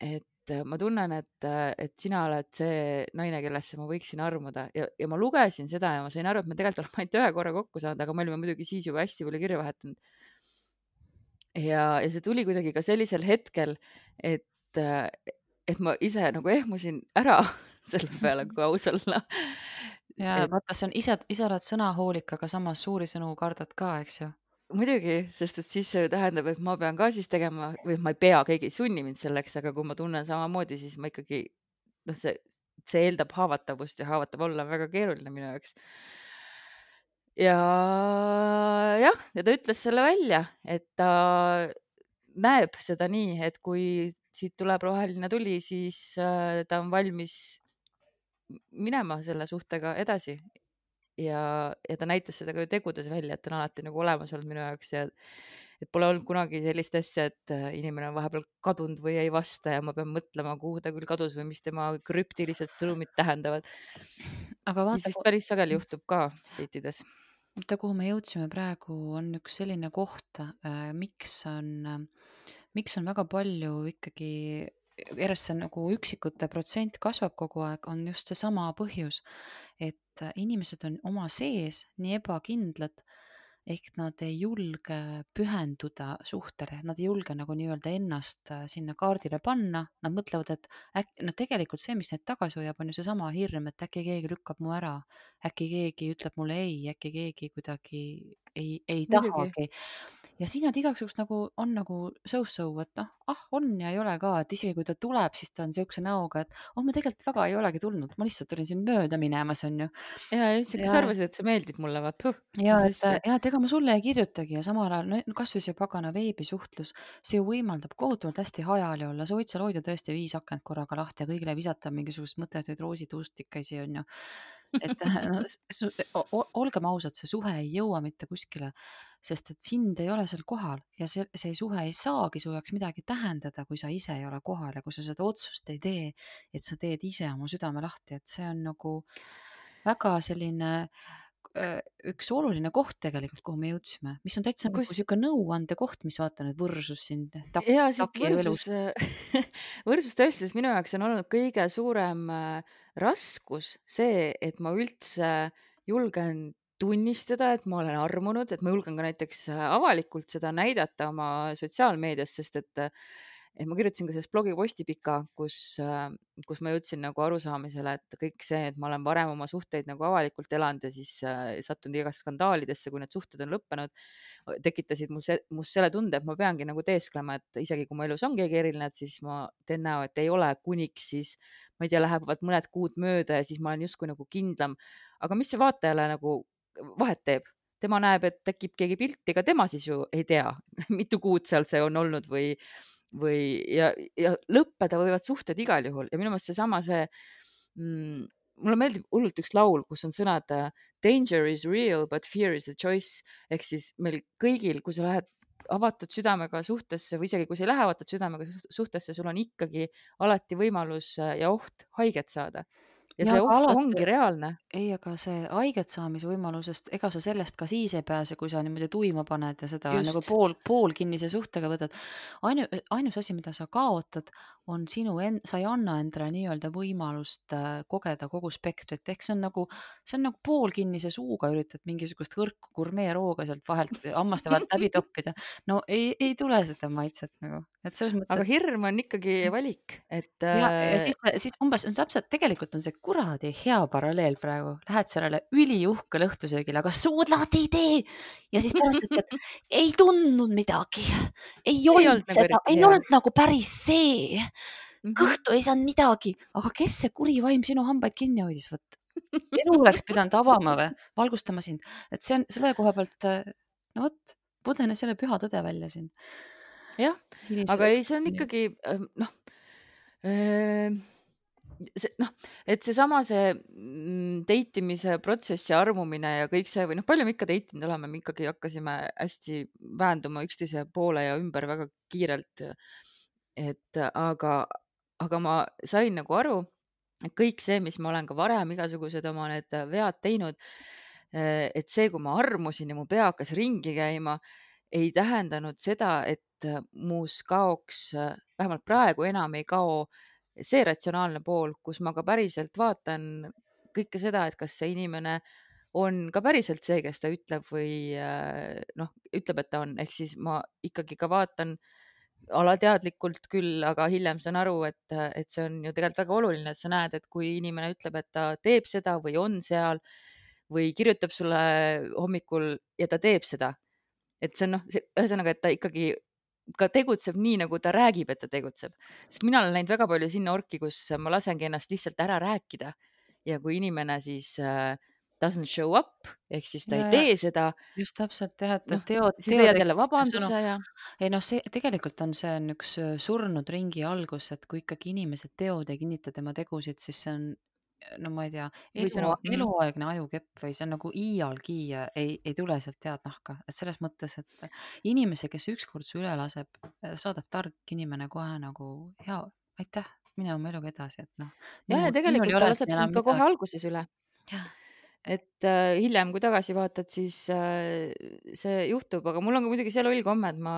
et ma tunnen, et, et sina oled see naine, kellesse ma võiksin armuda ja, ja ma lugesin seda ja ma sain aru, et me tegelikult oleme ainult ühe korra kokku saanud, aga me olime muidugi siis juba hästi palju kirja vahetanud. Ja, ja see tuli kuidagi ka sellisel hetkel, et et ma ise nagu ehmusin ära selle peale, kui aus olla. Ja Et vaata, see on ise, ise oled sõnahoolik, aga samas suuri sõnu kardad ka, eks ju. muidugi, sest et siis see tähendab, et ma pean ka siis tegema või ma ei pea, keegi ei sunni mind selleks, aga kui ma tunnen samamoodi, siis ma ikkagi noh, see, see eeldab haavatavust ja haavatav olla on väga keeruline minu jaoks. Ja jah, ja ta ütles selle välja, et ta näeb seda nii, et kui siit tuleb roheline tuli, siis äh, ta on valmis minema selle suhtega edasi. Ja, ja ta näitas seda ka ju tegudes välja, et ta on alati nagu olemas olnud minu jaoks ja et pole olnud kunagi sellist asja, et inimene on vahepeal kadunud või ei vasta ja ma pean mõtlema, kuhu ta küll kadus või mis tema krüptilised sõnumid tähendavad. Aga Mis vaata, vist päris sageli juhtub ka date'ides. vaata, kuhu me jõudsime praegu, on üks selline koht, äh, miks on, äh, miks on väga palju ikkagi järjest see nagu üksikute protsent kasvab kogu aeg, on just seesama põhjus, et äh, inimesed on oma sees nii ebakindlad, ehk nad ei julge pühenduda suhtele, nad ei julge nagu nii-öelda ennast äh, sinna kaardile panna, nad mõtlevad, et äkki, no tegelikult see, mis neid tagasi hoiab, on ju seesama hirm, et äkki keegi lükkab mu ära, äkki keegi ütleb mulle ei, äkki keegi kuidagi ei, ei Muidugi. tahagi. Ja siis nad igaks juhuks nagu on nagu so-so, et noh, ah, on ja ei ole ka, et isegi kui ta tuleb, siis ta on siukse näoga, et oh, ma tegelikult väga ei olegi tulnud, ma lihtsalt olin siin mööda minemas, on ju. Ja üldse, kas Ja- arvasid, et see meeldib mulle, vaat puh, ja mis et, asja. ja et ega ma sulle ei kirjutagi ja samal ajal no, kasvõi see pagana veebisuhtlus, see ju võimaldab kohutavalt hästi hajali olla, sa võid seal hoida tõesti viis akent korraga lahti ja kõigile visata mingisugust mõttetuid roosituustikesi, on ju. Et no, su, o, olgem ausad, see suhe ei jõua mitte kuskile. sest et sind ei ole seal kohal ja see, see suhe ei saagi su jaoks midagi tähendada, kui sa ise ei ole kohal ja kui sa seda otsust ei tee, et sa teed ise oma südame lahti, et see on nagu väga selline äh, üks oluline koht tegelikult, kuhu me jõudsime, mis on täitsa nagu kus sihuke nõuande koht, mis vaatan, et võrsus siin tak, ja siit taki võrsus, elust. võrsus tõesti, sest minu jaoks on olnud kõige suurem äh, raskus see, et ma üldse julgen tunnistada, et ma olen armunud, et ma julgen ka näiteks äh, avalikult seda näidata oma sotsiaalmeedias, sest et, äh, et ma kirjutasin ka selles blogiposti pika, kus, äh, kus ma jõudsin nagu arusaamisele, et kõik see, et ma olen varem oma suhteid nagu avalikult elanud ja siis äh, sattunud igast skandaalidesse, kui need suhted on lõppenud, tekitasid mul se, mul selle tunde, et ma peangi nagu teesklema, et isegi kui mu elus on keegi eriline, et siis ma teen näo, et ei ole, kuniks siis, ma ei tea, lähevad mõned kuud mööda ja siis ma olen justkui nagu kindlam. Aga mis see vaatajale nagu vahet teeb? Tema näeb, et tekib keegi pilti, ega tema siis ju ei tea, mitu kuud seal see on olnud või, või ja, ja lõppeda võivad suhted igal juhul. Ja minu meelest seesama see, mm, mulle meeldib hullult üks laul, kus on sõnad danger is real, but fear is a choice. Ehk siis meil kõigil, kui sa lähed avatud südamega suhtesse või isegi kui sa ei lähe avatud südamega suhtesse, sul on ikkagi alati võimalus ja oht haiget saada. Ja, ja see oht alati ongi reaalne. Ei, aga see haiget saamise võimalusest, ega sa sellest ka siis ei pääse, kui sa niimoodi tuima paned ja seda Just. nagu pool, pool kinnise suhtega võtad. Ainu, ainus asi, mida sa kaotad, on sinu, en, sa ei anna endale nii-öelda võimalust äh, kogeda kogu spektrit. Ehk see on nagu, see on nagu pool kinnise suuga üritad mingisugust hõrku gurmeerooga sealt vahelt, hammaste vahelt läbi toppida. No ei, ei tule seda maitset nagu. Et selles mõttes, aga hirm on ikkagi valik. Et, ja, ja siis, siis umbes on täpselt, tegelikult on see kuradi hea paralleel praegu. Lähed sellele üliuhkele õhtusöögile, aga suudlad ei tee. Ja siis pärast ütled, ei tundnud midagi. Ei, ei olnud, olnud seda, nagu ei hea. Olnud nagu päris see. Kõhtu ei saanud midagi. Aga kes see kuri vaim sinu hambaid kinni hoidis? Võt? Elu oleks pidanud avama või valgustama sind. Et see on selle koha pealt, no võt, pudene selle püha tõde välja siin. Jah, aga ei, see on ikkagi noh, see, noh, et seesama see deitimise protsessi armumine ja kõik see või noh, palju me ikka deitinud oleme, me ikkagi hakkasime hästi vähenduma üksteise poole ja ümber väga kiirelt. Et aga, aga ma sain nagu aru, et kõik see, mis ma olen ka varem igasugused oma need vead teinud, et see, kui ma armusin ja mu pea hakkas ringi käima, ei tähendanud seda, et muus kaoks, vähemalt praegu enam ei kao see ratsionaalne pool, kus ma ka päriselt vaatan kõike seda, et kas see inimene on ka päriselt see, kes ta ütleb või noh, ütleb, et ta on, ehk siis ma ikkagi ka vaatan alateadlikult küll, aga hiljem saan aru, et, et see on ju tegelikult väga oluline, et sa näed, et kui inimene ütleb, et ta teeb seda või on seal või kirjutab sulle hommikul ja ta teeb seda, et see on noh, ühesõnaga, et ta ikkagi ka tegutseb nii, nagu ta räägib, et ta tegutseb. Sest mina olen näinud väga palju sinna orki, kus ma lasengi ennast lihtsalt ära rääkida ja kui inimene siis äh, doesn't show up, ehk siis ta ja, ei tee seda. Just täpselt, jah, et no, teod, siis leiad jälle vabanduse ja... Ei noh, see tegelikult on see on üks surnud ringi algus, et kui ikkagi inimesed teod ei kinnita tema tegusid, siis see on no ma ei tea, elu, no, eluaegne ajukepp või see on nagu iialgi ei, ei tule sealt head nahka. Et selles mõttes, et inimese, kes ükskord su üle laseb, saadab tark inimene kohe nagu hea, aitäh, mine oma eluga edasi. Et noh, ja, ja tegelikult ta laseb sind ka kohe alguses üle. Jah. Et äh, hiljem, kui tagasi vaatad, siis äh, see juhtub, aga mul on ka muidugi see loll komme, et ma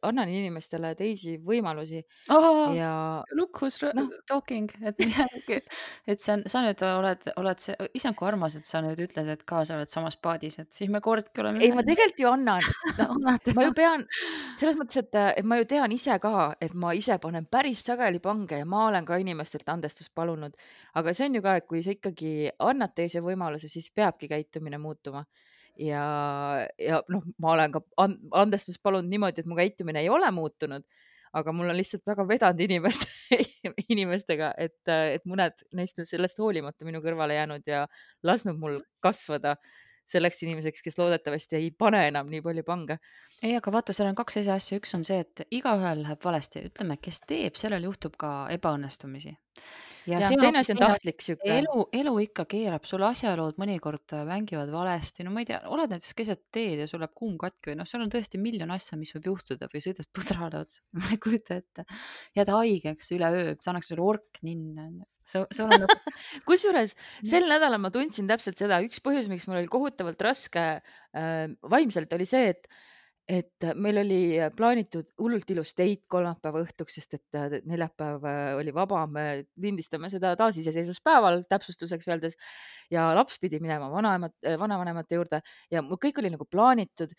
annan inimestele teisi võimalusi. Oh, ja look who's no. talking, et, et sa, sa nüüd oled, oled see, isand kui armas, et sa nüüd ütled, et ka sa oled samas paadis, et siis me kordki oleme. Ei, ma tegelikult ju annan. No, ma ju pean, selles mõttes, et, et ma ju tean ise ka, et ma ise panen päris sageli pange ja ma olen ka inimestelt andestust palunud, aga see on ju ka, et kui sa ikkagi annad teise võimaluse, siis peabki käitumine muutuma ja, ja noh, ma olen ka andestust palunud niimoodi, et mu käitumine ei ole muutunud, aga mul on lihtsalt väga vedanud inimest, inimestega, et, et mõned neist on sellest hoolimata minu kõrvale jäänud ja lasknud mul kasvada selleks inimeseks, kes loodetavasti ei pane enam nii palju pange. Ei, aga vaata, seal on kaks asja. Üks on see, et igaühel läheb valesti. Ütleme, kes teeb, sellel juhtub ka ebaõnnestumisi. ja jah, see on teine hoopis asi on teine asi. tahtlik sihuke. elu, elu ikka keerab, sul asjaolud mõnikord äh, mängivad valesti, no ma ei tea, oled näiteks keset teed ja sul läheb kuum katki või noh, seal on tõesti miljon asja, mis võib juhtuda või sõidad põdrale otsa, ma ei kujuta ette. jääd haigeks üleöö, pannakse sulle ork ninna, onju. See see on nagu kusjuures sel nädalal ma tundsin täpselt seda, üks põhjus, miks mul oli kohutavalt raske äh, vaimselt, oli see, et et meil oli plaanitud hullult ilus date kolmapäeva õhtuks, sest et äh, neljapäev äh, oli vaba, me lindistame seda taasiseseisvuspäeval, täpsustuseks öeldes, ja laps pidi minema vanaemat, vanavanemate juurde ja mul kõik oli nagu plaanitud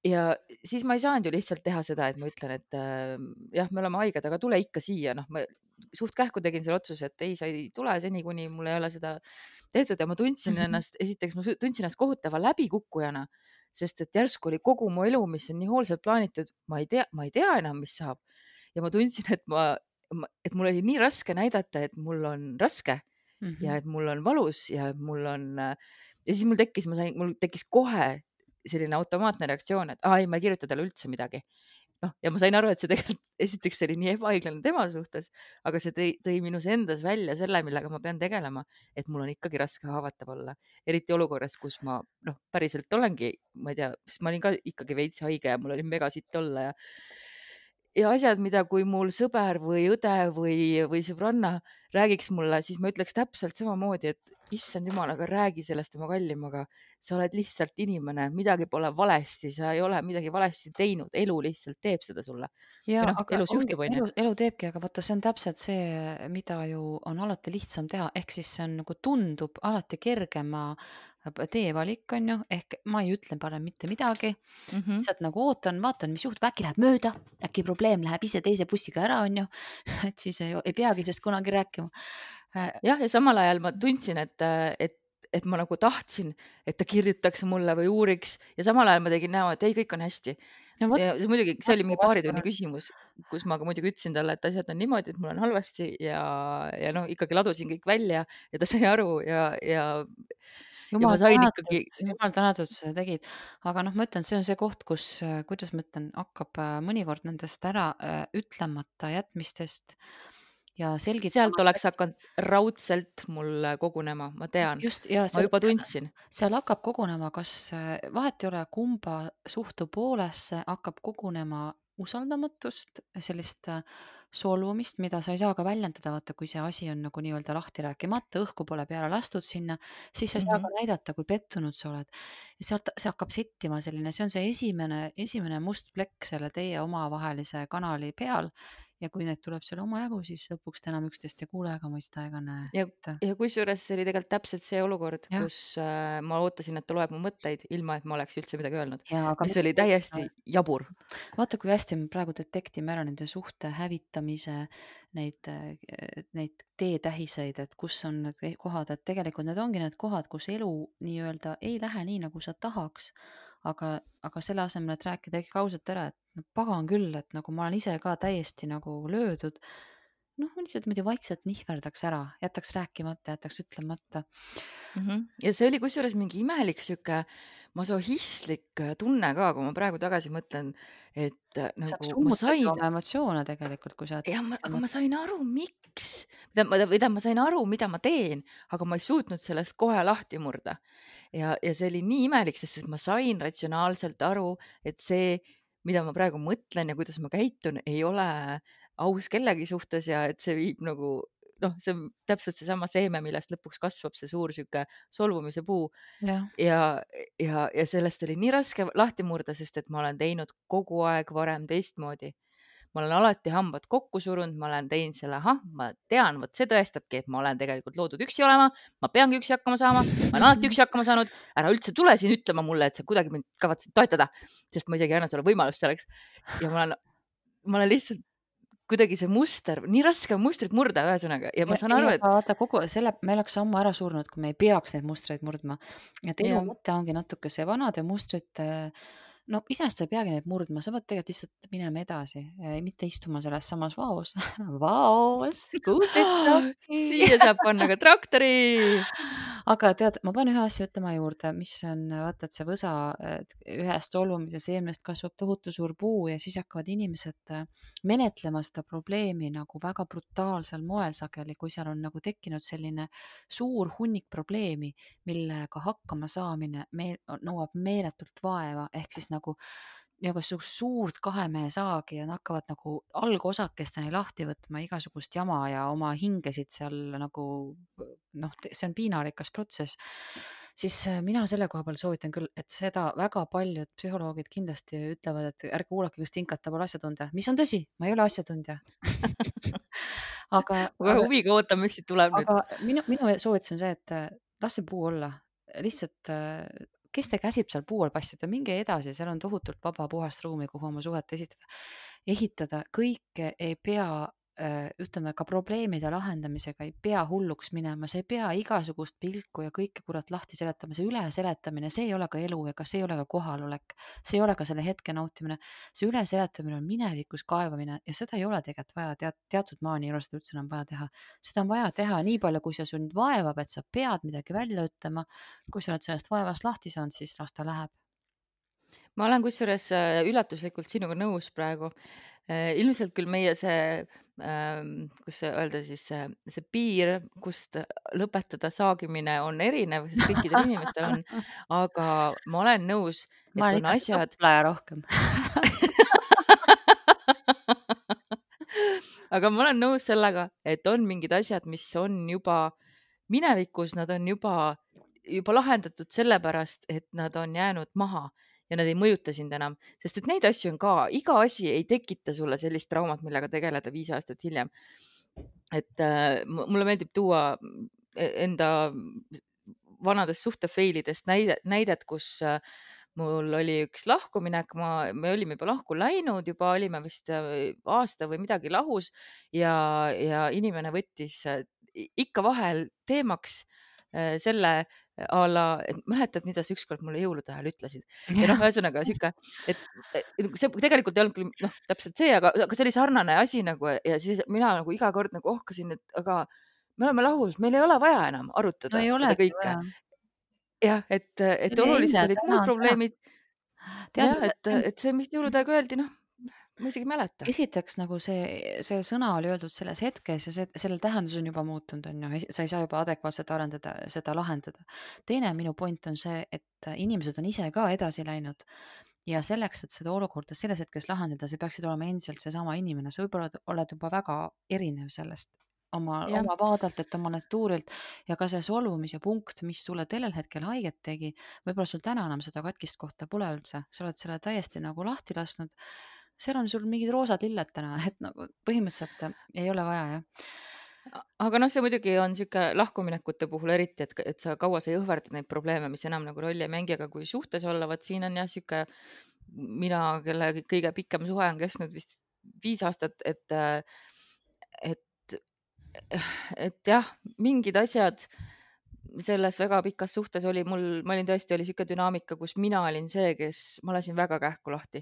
ja siis ma ei saanud ju lihtsalt teha seda, et ma ütlen, et äh, jah, me oleme haiged, aga tule ikka siia, noh, ma suht kähku tegin selle otsuse, et ei, sa ei tule seni, kuni mul ei ole seda tehtud ja ma tundsin ennast, esiteks ma su- tundsin ennast kohutava läbikukkujana, sest et järsku oli kogu mu elu, mis on nii hoolsalt plaanitud, ma ei tea, ma ei tea enam, mis saab. Ja ma tundsin, et ma, ma, et mul oli nii raske näidata, et mul on raske Mhm. ja et mul on valus ja et mul on äh, ja siis mul tekkis, ma sain, mul tekkis kohe selline automaatne reaktsioon, et aa ei, ma ei kirjuta talle üldse midagi. Noh, ja ma sain aru, et see tegelikult esiteks oli nii ebaõiglane tema suhtes, aga see tõi, tõi minus endas välja selle, millega ma pean tegelema, et mul on ikkagi raske haavatav olla, eriti olukorras, kus ma noh, päriselt olengi, ma ei tea, sest ma olin ka ikkagi veits haige ja mul oli mega sitt olla ja ja asjad, mida kui mul sõber või õde või, või sõbranna räägiks mulle, siis ma ütleks täpselt samamoodi, et issand jumal, aga räägi sellest oma kallim, aga sa oled lihtsalt inimene, midagi pole valesti, sa ei ole midagi valesti teinud, elu lihtsalt teeb seda sulle. ja Või noh, aga elus ongi, juhtub, onju. elu, elu teebki, aga vaata, see on täpselt see, mida ju on alati lihtsam teha, ehk siis see on nagu tundub alati kergema teevalik, on ju, ehk ma ei ütle parem mitte midagi, Mhm. lihtsalt nagu ootan, vaatan, mis juhtub, äkki läheb mööda, äkki probleem läheb ise teise bussiga ära, on ju, et siis ei, ei peagi sellest kunagi rääkima. Äh, jah, ja samal ajal ma tundsin, et, et, et ma nagu tahtsin, et ta kirjutaks mulle või uuriks ja samal ajal ma tegin näo, et ei, kõik on hästi. no vot, Ja see muidugi, see oli mingi näpu paari tunni vastane. küsimus, kus ma ka muidugi ütlesin talle, et asjad on niimoodi, et mul on halvasti ja, ja noh, ikkagi ladusin kõik välja ja ta sai aru ja, ja, ja ma jumal sain tänatud, ikkagi, jumal tänatud, sa seda tegid. Aga noh, ma ütlen, see on see koht, kus, äh, kuidas ma ütlen, hakkab äh, mõnikord nendest ära äh, ütlemata jätmistest ja sealt selgitamata oleks hakanud raudselt mul kogunema, ma tean, just ja ma seal, juba seal, tundsin. seal hakkab kogunema, kas äh, vahet ei ole, kumba suhtu poolesse hakkab kogunema usaldamatust, sellist äh, solvumist, mida sa ei saa ka väljendada, vaata, kui see asi on nagu nii-öelda lahti rääkimata, õhku pole peale lastud sinna, siis sa ei saa Mhm. ka näidata, kui pettunud sa oled. ja sealt see hakkab settima selline, see on see esimene, esimene must plekk selle teie omavahelise kanali peal ja kui neid tuleb selle omajagu, siis lõpuks te enam üksteist ei kuule ega mõista ega näe. ja, et ja kusjuures see oli tegelikult täpselt see olukord, jah, kus äh, ma ootasin, et ta loeb mu mõtteid, ilma et ma oleks üldse midagi öelnud. ja aga Ja see oli mitte täiesti jabur. vaata, kui hästi me praegu detektime ära nende suhte hävitamise, neid, äh, neid teetähiseid, et kus on need kohad, et tegelikult need ongi need kohad, kus elu nii-öelda ei lähe nii, nagu sa tahaks. Aga, aga selle asemel, et rääkida ikkagi ausalt ära, et no pagan küll, et nagu ma olen ise ka täiesti nagu löödud, noh, ma lihtsalt niimoodi vaikselt nihverdaks ära, jätaks rääkimata, jätaks ütlemata. Mhm. Ja see oli kusjuures mingi imelik sihuke masohhistlik äh, tunne ka, kui ma praegu tagasi mõtlen, et äh, see nagu ma summutab ju sain, oma emotsioone tegelikult, kui sa jätad ja ma, aga ütlemata. ma sain aru, miks, või tähendab, ma sain aru, mida ma teen, aga ma ei suutnud sellest kohe lahti murda. Ja, ja see oli nii imelik, sest et ma sain ratsionaalselt aru, et see, mida ma praegu mõtlen ja kuidas ma käitun, ei ole aus kellegi suhtes ja et see viib nagu noh, see on täpselt seesama seeme, millest lõpuks kasvab see suur sihuke solvumise puu jah, ja, ja, ja sellest oli nii raske lahti murda, sest et ma olen teinud kogu aeg varem teistmoodi. Ma olen alati hambad kokku surunud, ma olen teinud selle, ahah, ma tean, vot see tõestabki, et ma olen tegelikult loodud üksi olema, ma peangi üksi hakkama saama, ma olen alati üksi hakkama saanud, ära üldse tule siin ütlema mulle, et sa kuidagi mind kavatsed toetada, sest ma isegi ei anna sulle võimalust selleks. Ja ma olen, ma olen lihtsalt kuidagi see muster, nii raske on mustrit murda ühesõnaga ja ma ja saan ei, aru, et aga vaata kogu selle, me oleks ammu ära surnud, kui me ei peaks neid mustreid murdma. et elu jah, mõte ongi natuke see vanade mustrite no iseenesest sa ei peagi neid murdma, sa pead tegelikult lihtsalt minema edasi, mitte istuma selles samas vaos. Vaos, kuusetsokki. Siia saab panna ka traktori. Aga tead, ma pean ühe asja ütlema juurde, mis on, vaata, et see võsa, et ühest olumise seemnest kasvab tohutu suur puu ja siis hakkavad inimesed äh, menetlema seda probleemi nagu väga brutaalsel moel sageli, kui seal on nagu tekkinud selline suur hunnik probleemi, millega hakkama saamine me, nõuab meeletult vaeva, ehk siis nagu nagu su- suurt kahemehe saagi ja nad hakkavad nagu algosakesteni lahti võtma igasugust jama ja oma hingesid seal nagu noh, te- see on piinarikas protsess, siis äh, mina selle koha peal soovitan küll, et seda väga paljud psühholoogid kindlasti ütlevad, et ärge kuulake, kas tinkata pole asjatundja, mis on tõsi, ma ei ole asjatundja. aga, Ma kohe aga, huviga ootan, mis siit tuleb nüüd. aga minu, minu soovitus on see, et äh, las see puu olla, lihtsalt äh, kes te käsib seal puu all passida, minge edasi, seal on tohutult vaba puhast ruumi, kuhu oma suhet esitada, ehitada, kõike ei pea, äh, ütleme ka probleemide lahendamisega ei pea hulluks minema, sa ei pea igasugust pilku ja kõike kurat lahti seletama, see üleseletamine, see ei ole ka elu ega see ei ole ka kohalolek, see ei ole ka selle hetke nautimine, see üleseletamine on minevikus kaevamine ja seda ei ole tegelikult vaja, tead, teatud maani ei ole seda üldse enam vaja teha. Seda on vaja teha nii palju, kui see sind vaevab, et sa pead midagi välja ütlema. Kui sa oled sellest vaevast lahti saanud, siis las ta läheb. Ma olen kusjuures äh, üllatuslikult sinuga nõus praegu. Äh, Ilmselt küll meie see, ähm, kus see öelda siis, see, see piir, kust lõpetada saagimine on erinev, sest kõikidel inimestel on, aga ma olen nõus, et ma olen on ikka see asjad, õplaja rohkem. aga ma olen nõus sellega, et on mingid asjad, mis on juba minevikus, nad on juba, juba lahendatud sellepärast, et nad on jäänud maha ja nad ei mõjuta sind enam, sest et neid asju on ka, iga asi ei tekita sulle sellist traumat, millega tegeleda viis aastat hiljem. Et äh, mu- mulle meeldib tuua e- enda vanadest suhtefailidest näidet, näidet, kus äh, mul oli üks lahkuminek, ma, me olime juba lahku läinud, juba olime vist äh, aasta või midagi lahus ja, ja inimene võttis äh, i- ikka vahel teemaks äh, selle a la, et mäletad, mida sa ükskord mulle jõulude ajal ütlesid ja noh, ühesõnaga sihuke, et et see tegelikult ei olnud küll noh, täpselt see, aga, aga see oli sarnane asi nagu ja siis mina nagu iga kord nagu ohkasin, et aga me oleme lahus, meil ei ole vaja enam No arutada ei seda olegi kõike. vaja. Jah, et, et See oli olulised eile, olid täna muud on täna. probleemid. Tead, Jah, mulle- et, et see, mis jõulude aega öeldi, noh, ma isegi ei mäleta. esiteks nagu see, see sõna oli öeldud selles hetkes ja see, sellel tähendus on juba muutunud, on ju, sa ei saa juba adekvaatselt arendada, seda lahendada. Teine minu point on see, et inimesed on ise ka edasi läinud ja selleks, et seda olukorda selles hetkes lahendada, sa peaksid olema endiselt seesama inimene, sa võib-olla oled juba väga erinev sellest oma, Jah, oma vaadelt, oma natuurilt ja ka see solvumise punkt, mis sulle sellel hetkel haiget tegi, võib-olla sul täna enam seda katkist kohta pole üldse, sa oled selle täiesti nagu lahti lasknud. Seal on sul mingid roosad lilled täna, et nagu põhimõtteliselt äh, ei ole vaja, jah. A- aga noh, see muidugi on sihuke lahkuminekute puhul eriti, et, et sa kaua sa jõhverdad neid probleeme, mis enam nagu rolli ei mängi, aga kui suhtes olla, vaat siin on jah sihuke, mina, kelle kõige pikem suhe on kestnud vist viis aastat, et, äh, et, et jah, mingid asjad selles väga pikas suhtes oli mul, ma olin tõesti, oli sihuke dünaamika, kus mina olin see, kes, ma lasin väga kähku lahti,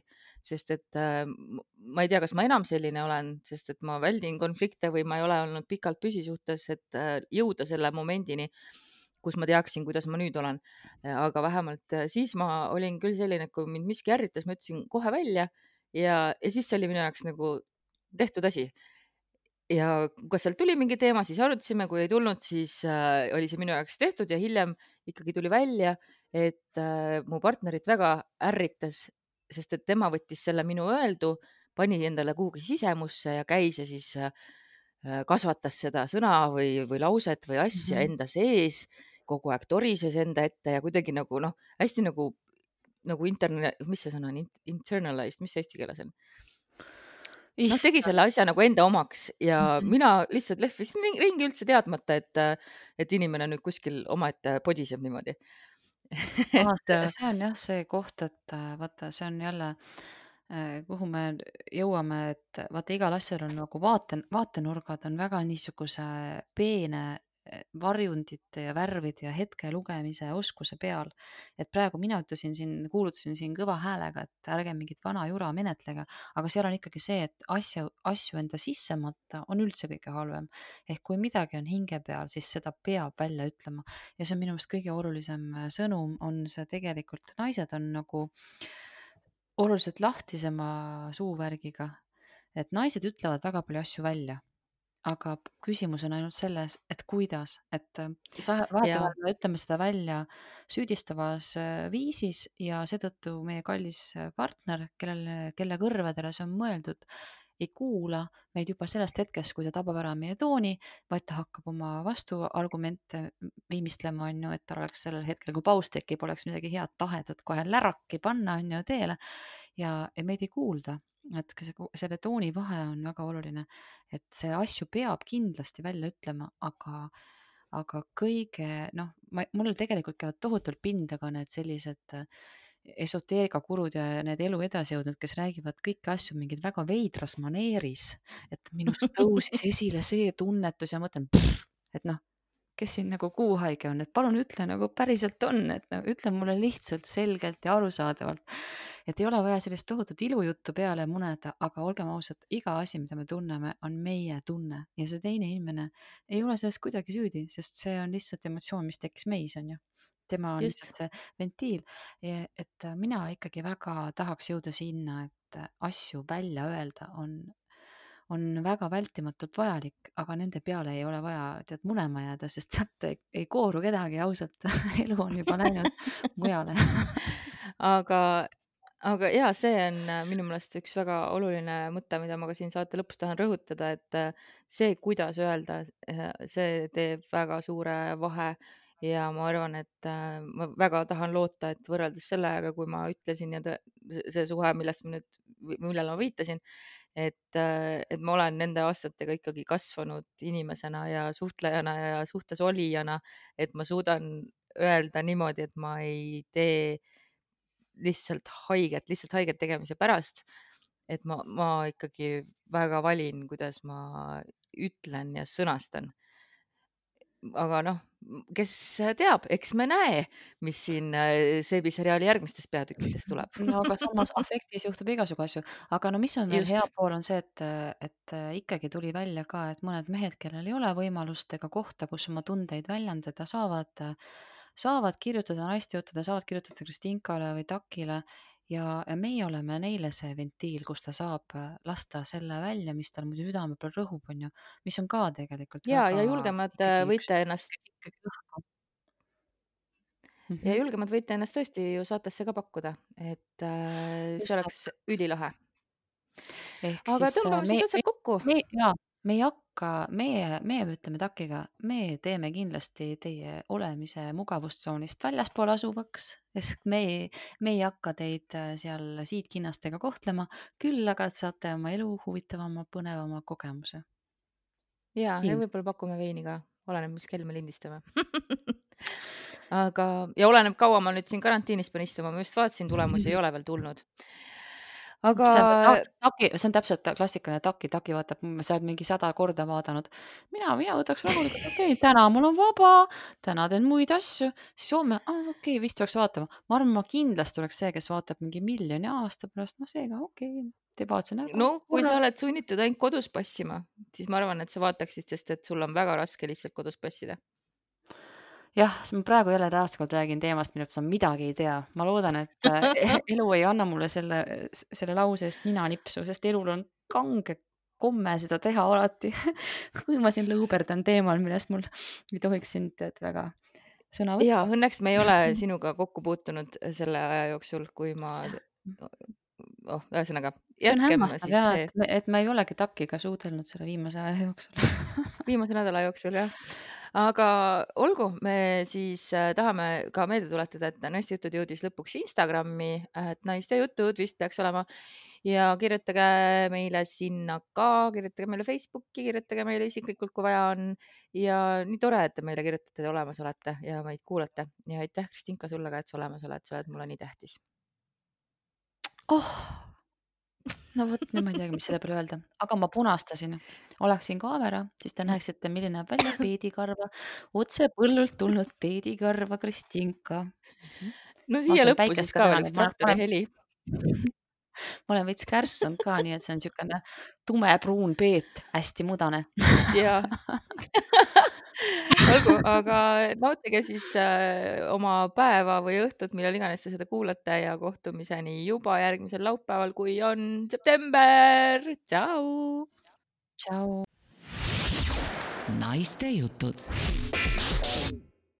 sest et äh, m- ma ei tea, kas ma enam selline olen, sest et ma väldin konflikte või ma ei ole olnud pikalt püsisuhtes, et äh, jõuda selle momendini, kus ma teaksin, kuidas ma nüüd olen. aga vähemalt äh, siis ma olin küll selline, et kui mind miski ärritas, ma ütlesin kohe välja ja, ja siis see oli minu jaoks nagu tehtud asi. Ja kas sealt tuli mingi teema, siis arutasime, kui ei tulnud, siis äh, oli see minu jaoks tehtud ja hiljem ikkagi tuli välja, et äh, mu partnerit väga ärritas, sest et tema võttis selle minu öeldu, pani endale kuhugi sisemusse ja käis ja siis äh, äh, kasvatas seda sõna või, või lauset või asja Mhm. enda sees, kogu aeg torises enda ette ja kuidagi nagu noh, hästi nagu, nagu interne, mis see sõna on, In- internalized, mis see eesti keeles on? Noh, tegi Issand. selle asja nagu enda omaks ja Mhm. mina lihtsalt lehvisin ring- ringi üldse teadmata, et, et inimene nüüd kuskil omaette podiseb niimoodi. Aa, et see, äh, see on jah see koht, et äh, vaata, see on jälle, äh, kuhu me jõuame, et vaata, igal asjal on nagu vaate, vaatenurgad on väga niisuguse peene varjundite ja värvide ja hetke lugemise oskuse peal. Et praegu mina ütlesin siin, kuulutasin siin kõva häälega, et ärge mingit vana jura menetlege, aga seal on ikkagi see, et asja, asju enda sisse matta on üldse kõige halvem. Ehk kui midagi on hinge peal, siis seda peab välja ütlema. Ja see on minu meelest kõige olulisem sõnum, on see tegelikult, naised on nagu oluliselt lahtisema suuvärgiga, et naised ütlevad väga palju asju välja, aga küsimus on ainult selles, et kuidas, et sa vahetevahel me ütleme seda välja süüdistavas viisis ja seetõttu meie kallis partner, kellele, kelle kõrvadele see on mõeldud, ei kuula meid juba sellest hetkest, kui ta tabab ära meie tooni, vaid ta hakkab oma vastuargumente viimistlema, on ju, et tal oleks sellel hetkel, kui paus tekib, oleks midagi head tahedat kohe läraki panna, on ju, teele ja, ja meid ei kuulda. Et selle tooni vahe on väga oluline, et see asju peab kindlasti välja ütlema, aga, aga kõige, noh, mul tegelikult käivad tohutult pindaga need sellised esoteerikakurud ja need elu edasi jõudnud, kes räägivad kõiki asju mingid väga veidras maneeris, et minust tõusis esile see tunnetus ja mõtlen, pff, et noh, kes siin nagu kuuhaige on, et palun ütle nagu päriselt on, et no, ütle mulle lihtsalt selgelt ja arusaadavalt, et ei ole vaja sellist tohutut ilujuttu peale muneda, aga olgem ausad, iga asi, mida me tunneme, on meie tunne ja see teine inimene ei ole sellest kuidagi süüdi, sest see on lihtsalt emotsioon, mis tekkis meis, on ju. Tema on Just. lihtsalt see ventiil, et mina ikkagi väga tahaks jõuda sinna, et asju välja öelda on on väga vältimatult vajalik, aga nende peale ei ole vaja tead munema jääda, sest sealt ei, ei kooru kedagi ausalt, elu on juba läinud mujale. aga, aga ja, see on minu meelest üks väga oluline mõte, mida ma ka siin saate lõpus tahan rõhutada, et see, kuidas öelda, see teeb väga suure vahe ja ma arvan, et ma väga tahan loota, et võrreldes sellega, kui ma ütlesin ja see suhe, millest ma nüüd, millele ma viitasin, et, et ma olen nende aastatega ikkagi kasvanud inimesena ja suhtlejana ja suhtes olijana, et ma suudan öelda niimoodi, et ma ei tee lihtsalt haiget, lihtsalt haiget tegemise pärast, et ma, ma ikkagi väga valin, kuidas ma ütlen ja sõnastan. Aga noh, kes teab, eks me näe, mis siin seebiseriaali järgmistes peatükkides tuleb. No aga samas afektis juhtub igasugu asju, aga no mis on veel Just. hea pool on see, et, et ikkagi tuli välja ka, et mõned mehed, kellel ei ole võimalust ega kohta, kus oma tundeid väljendada, saavad, saavad kirjutada naistejuttude, saavad kirjutada Kristinkale või Takile ja, ja meie oleme neile see ventiil, kus ta saab lasta selle välja, mis tal muidu südame peal rõhub, on ju, mis on ka tegelikult ja, väga ja julgemad võite ennast Mm-hmm. ja julgemad võite ennast tõesti ju saatesse ka pakkuda, et äh, see oleks ülilahe. Ehk aga siis, tõmbame me, siis otsad kokku. Me, ja, me ei hakka, meie, meie ütleme Takiga, me teeme kindlasti teie olemise mugavustsoonist väljaspool asuvaks, sest me, me ei hakka teid seal siidkinnastega kohtlema, küll aga saate oma elu huvitavama, põnevama kogemuse. Ja, ja võib-olla pakume veini ka, oleneb, mis kell me lindistame. aga, ja oleneb, kaua ma nüüd siin karantiinis pean istuma, ma just vaatasin, tulemusi ei ole veel tulnud. Aga see on, taki, see on täpselt klassikaline Taki, Taki vaatab, sa oled mingi sada korda vaadanud. Mina, mina võtaks rahulikult, okei, okay, täna mul on vaba, täna teen muid asju, siis homme, ah, okei okay,, vist tuleks vaatama. Ma arvan, ma kindlasti oleks see, kes vaatab mingi miljoni aasta pärast, no seega okei okay,. no kui sa oled sunnitud ainult kodus passima, siis ma arvan, et sa vaataksid, sest et sul on väga raske lihtsalt kodus passida. Jah, ma praegu jälle taaskord räägin teemast, millest ma midagi ei tea. Ma loodan, et elu ei anna mulle selle, selle lause eest nina nipsu, sest elul on kange komme seda teha alati. kui ma siin lõuberdan teemal, millest mul ei tohiks sind tead väga sõna võtta. Ja, õnneks me ei ole sinuga kokku puutunud selle aja jooksul, kui ma... Oh, ühesõnaga, see on hämmastav jah, see... et, me, et me ei olegi Takiga suudelnud selle viimase aja jooksul. viimase nädala jooksul, jah. Aga olgu, me siis äh, tahame ka meelde tuletada, et Naiste jutud jõudis lõpuks Instagrami, et Naiste jutud vist peaks olema ja kirjutage meile sinna ka, kirjutage meile Facebooki, kirjutage meile isiklikult, kui vaja on ja nii tore, et te meile kirjutate ja olemas olete ja meid kuulate ja aitäh, Kristinka, sulle ka, et sa olemas oled, sa oled mulle nii tähtis. Oh, no vot, nüüd ma ei teagi, mis selle peale öelda, aga ma punastasin, oleksin kaamera, siis te näeksite, milline näeb välja peedikarva, otse põllult tulnud peedikarva Kristinka. No siia lõppu siis ka veel üks traktori heli. Ma olen veits kärssanud ka, nii et see on niisugune tumepruun peet, hästi mudane. Jaa. Olgu, aga nautige siis äh, oma päeva või õhtut, millal iganes te seda kuulate ja kohtumiseni juba järgmisel laupäeval, kui on september. Tšau! Tšau! Naiste jutud.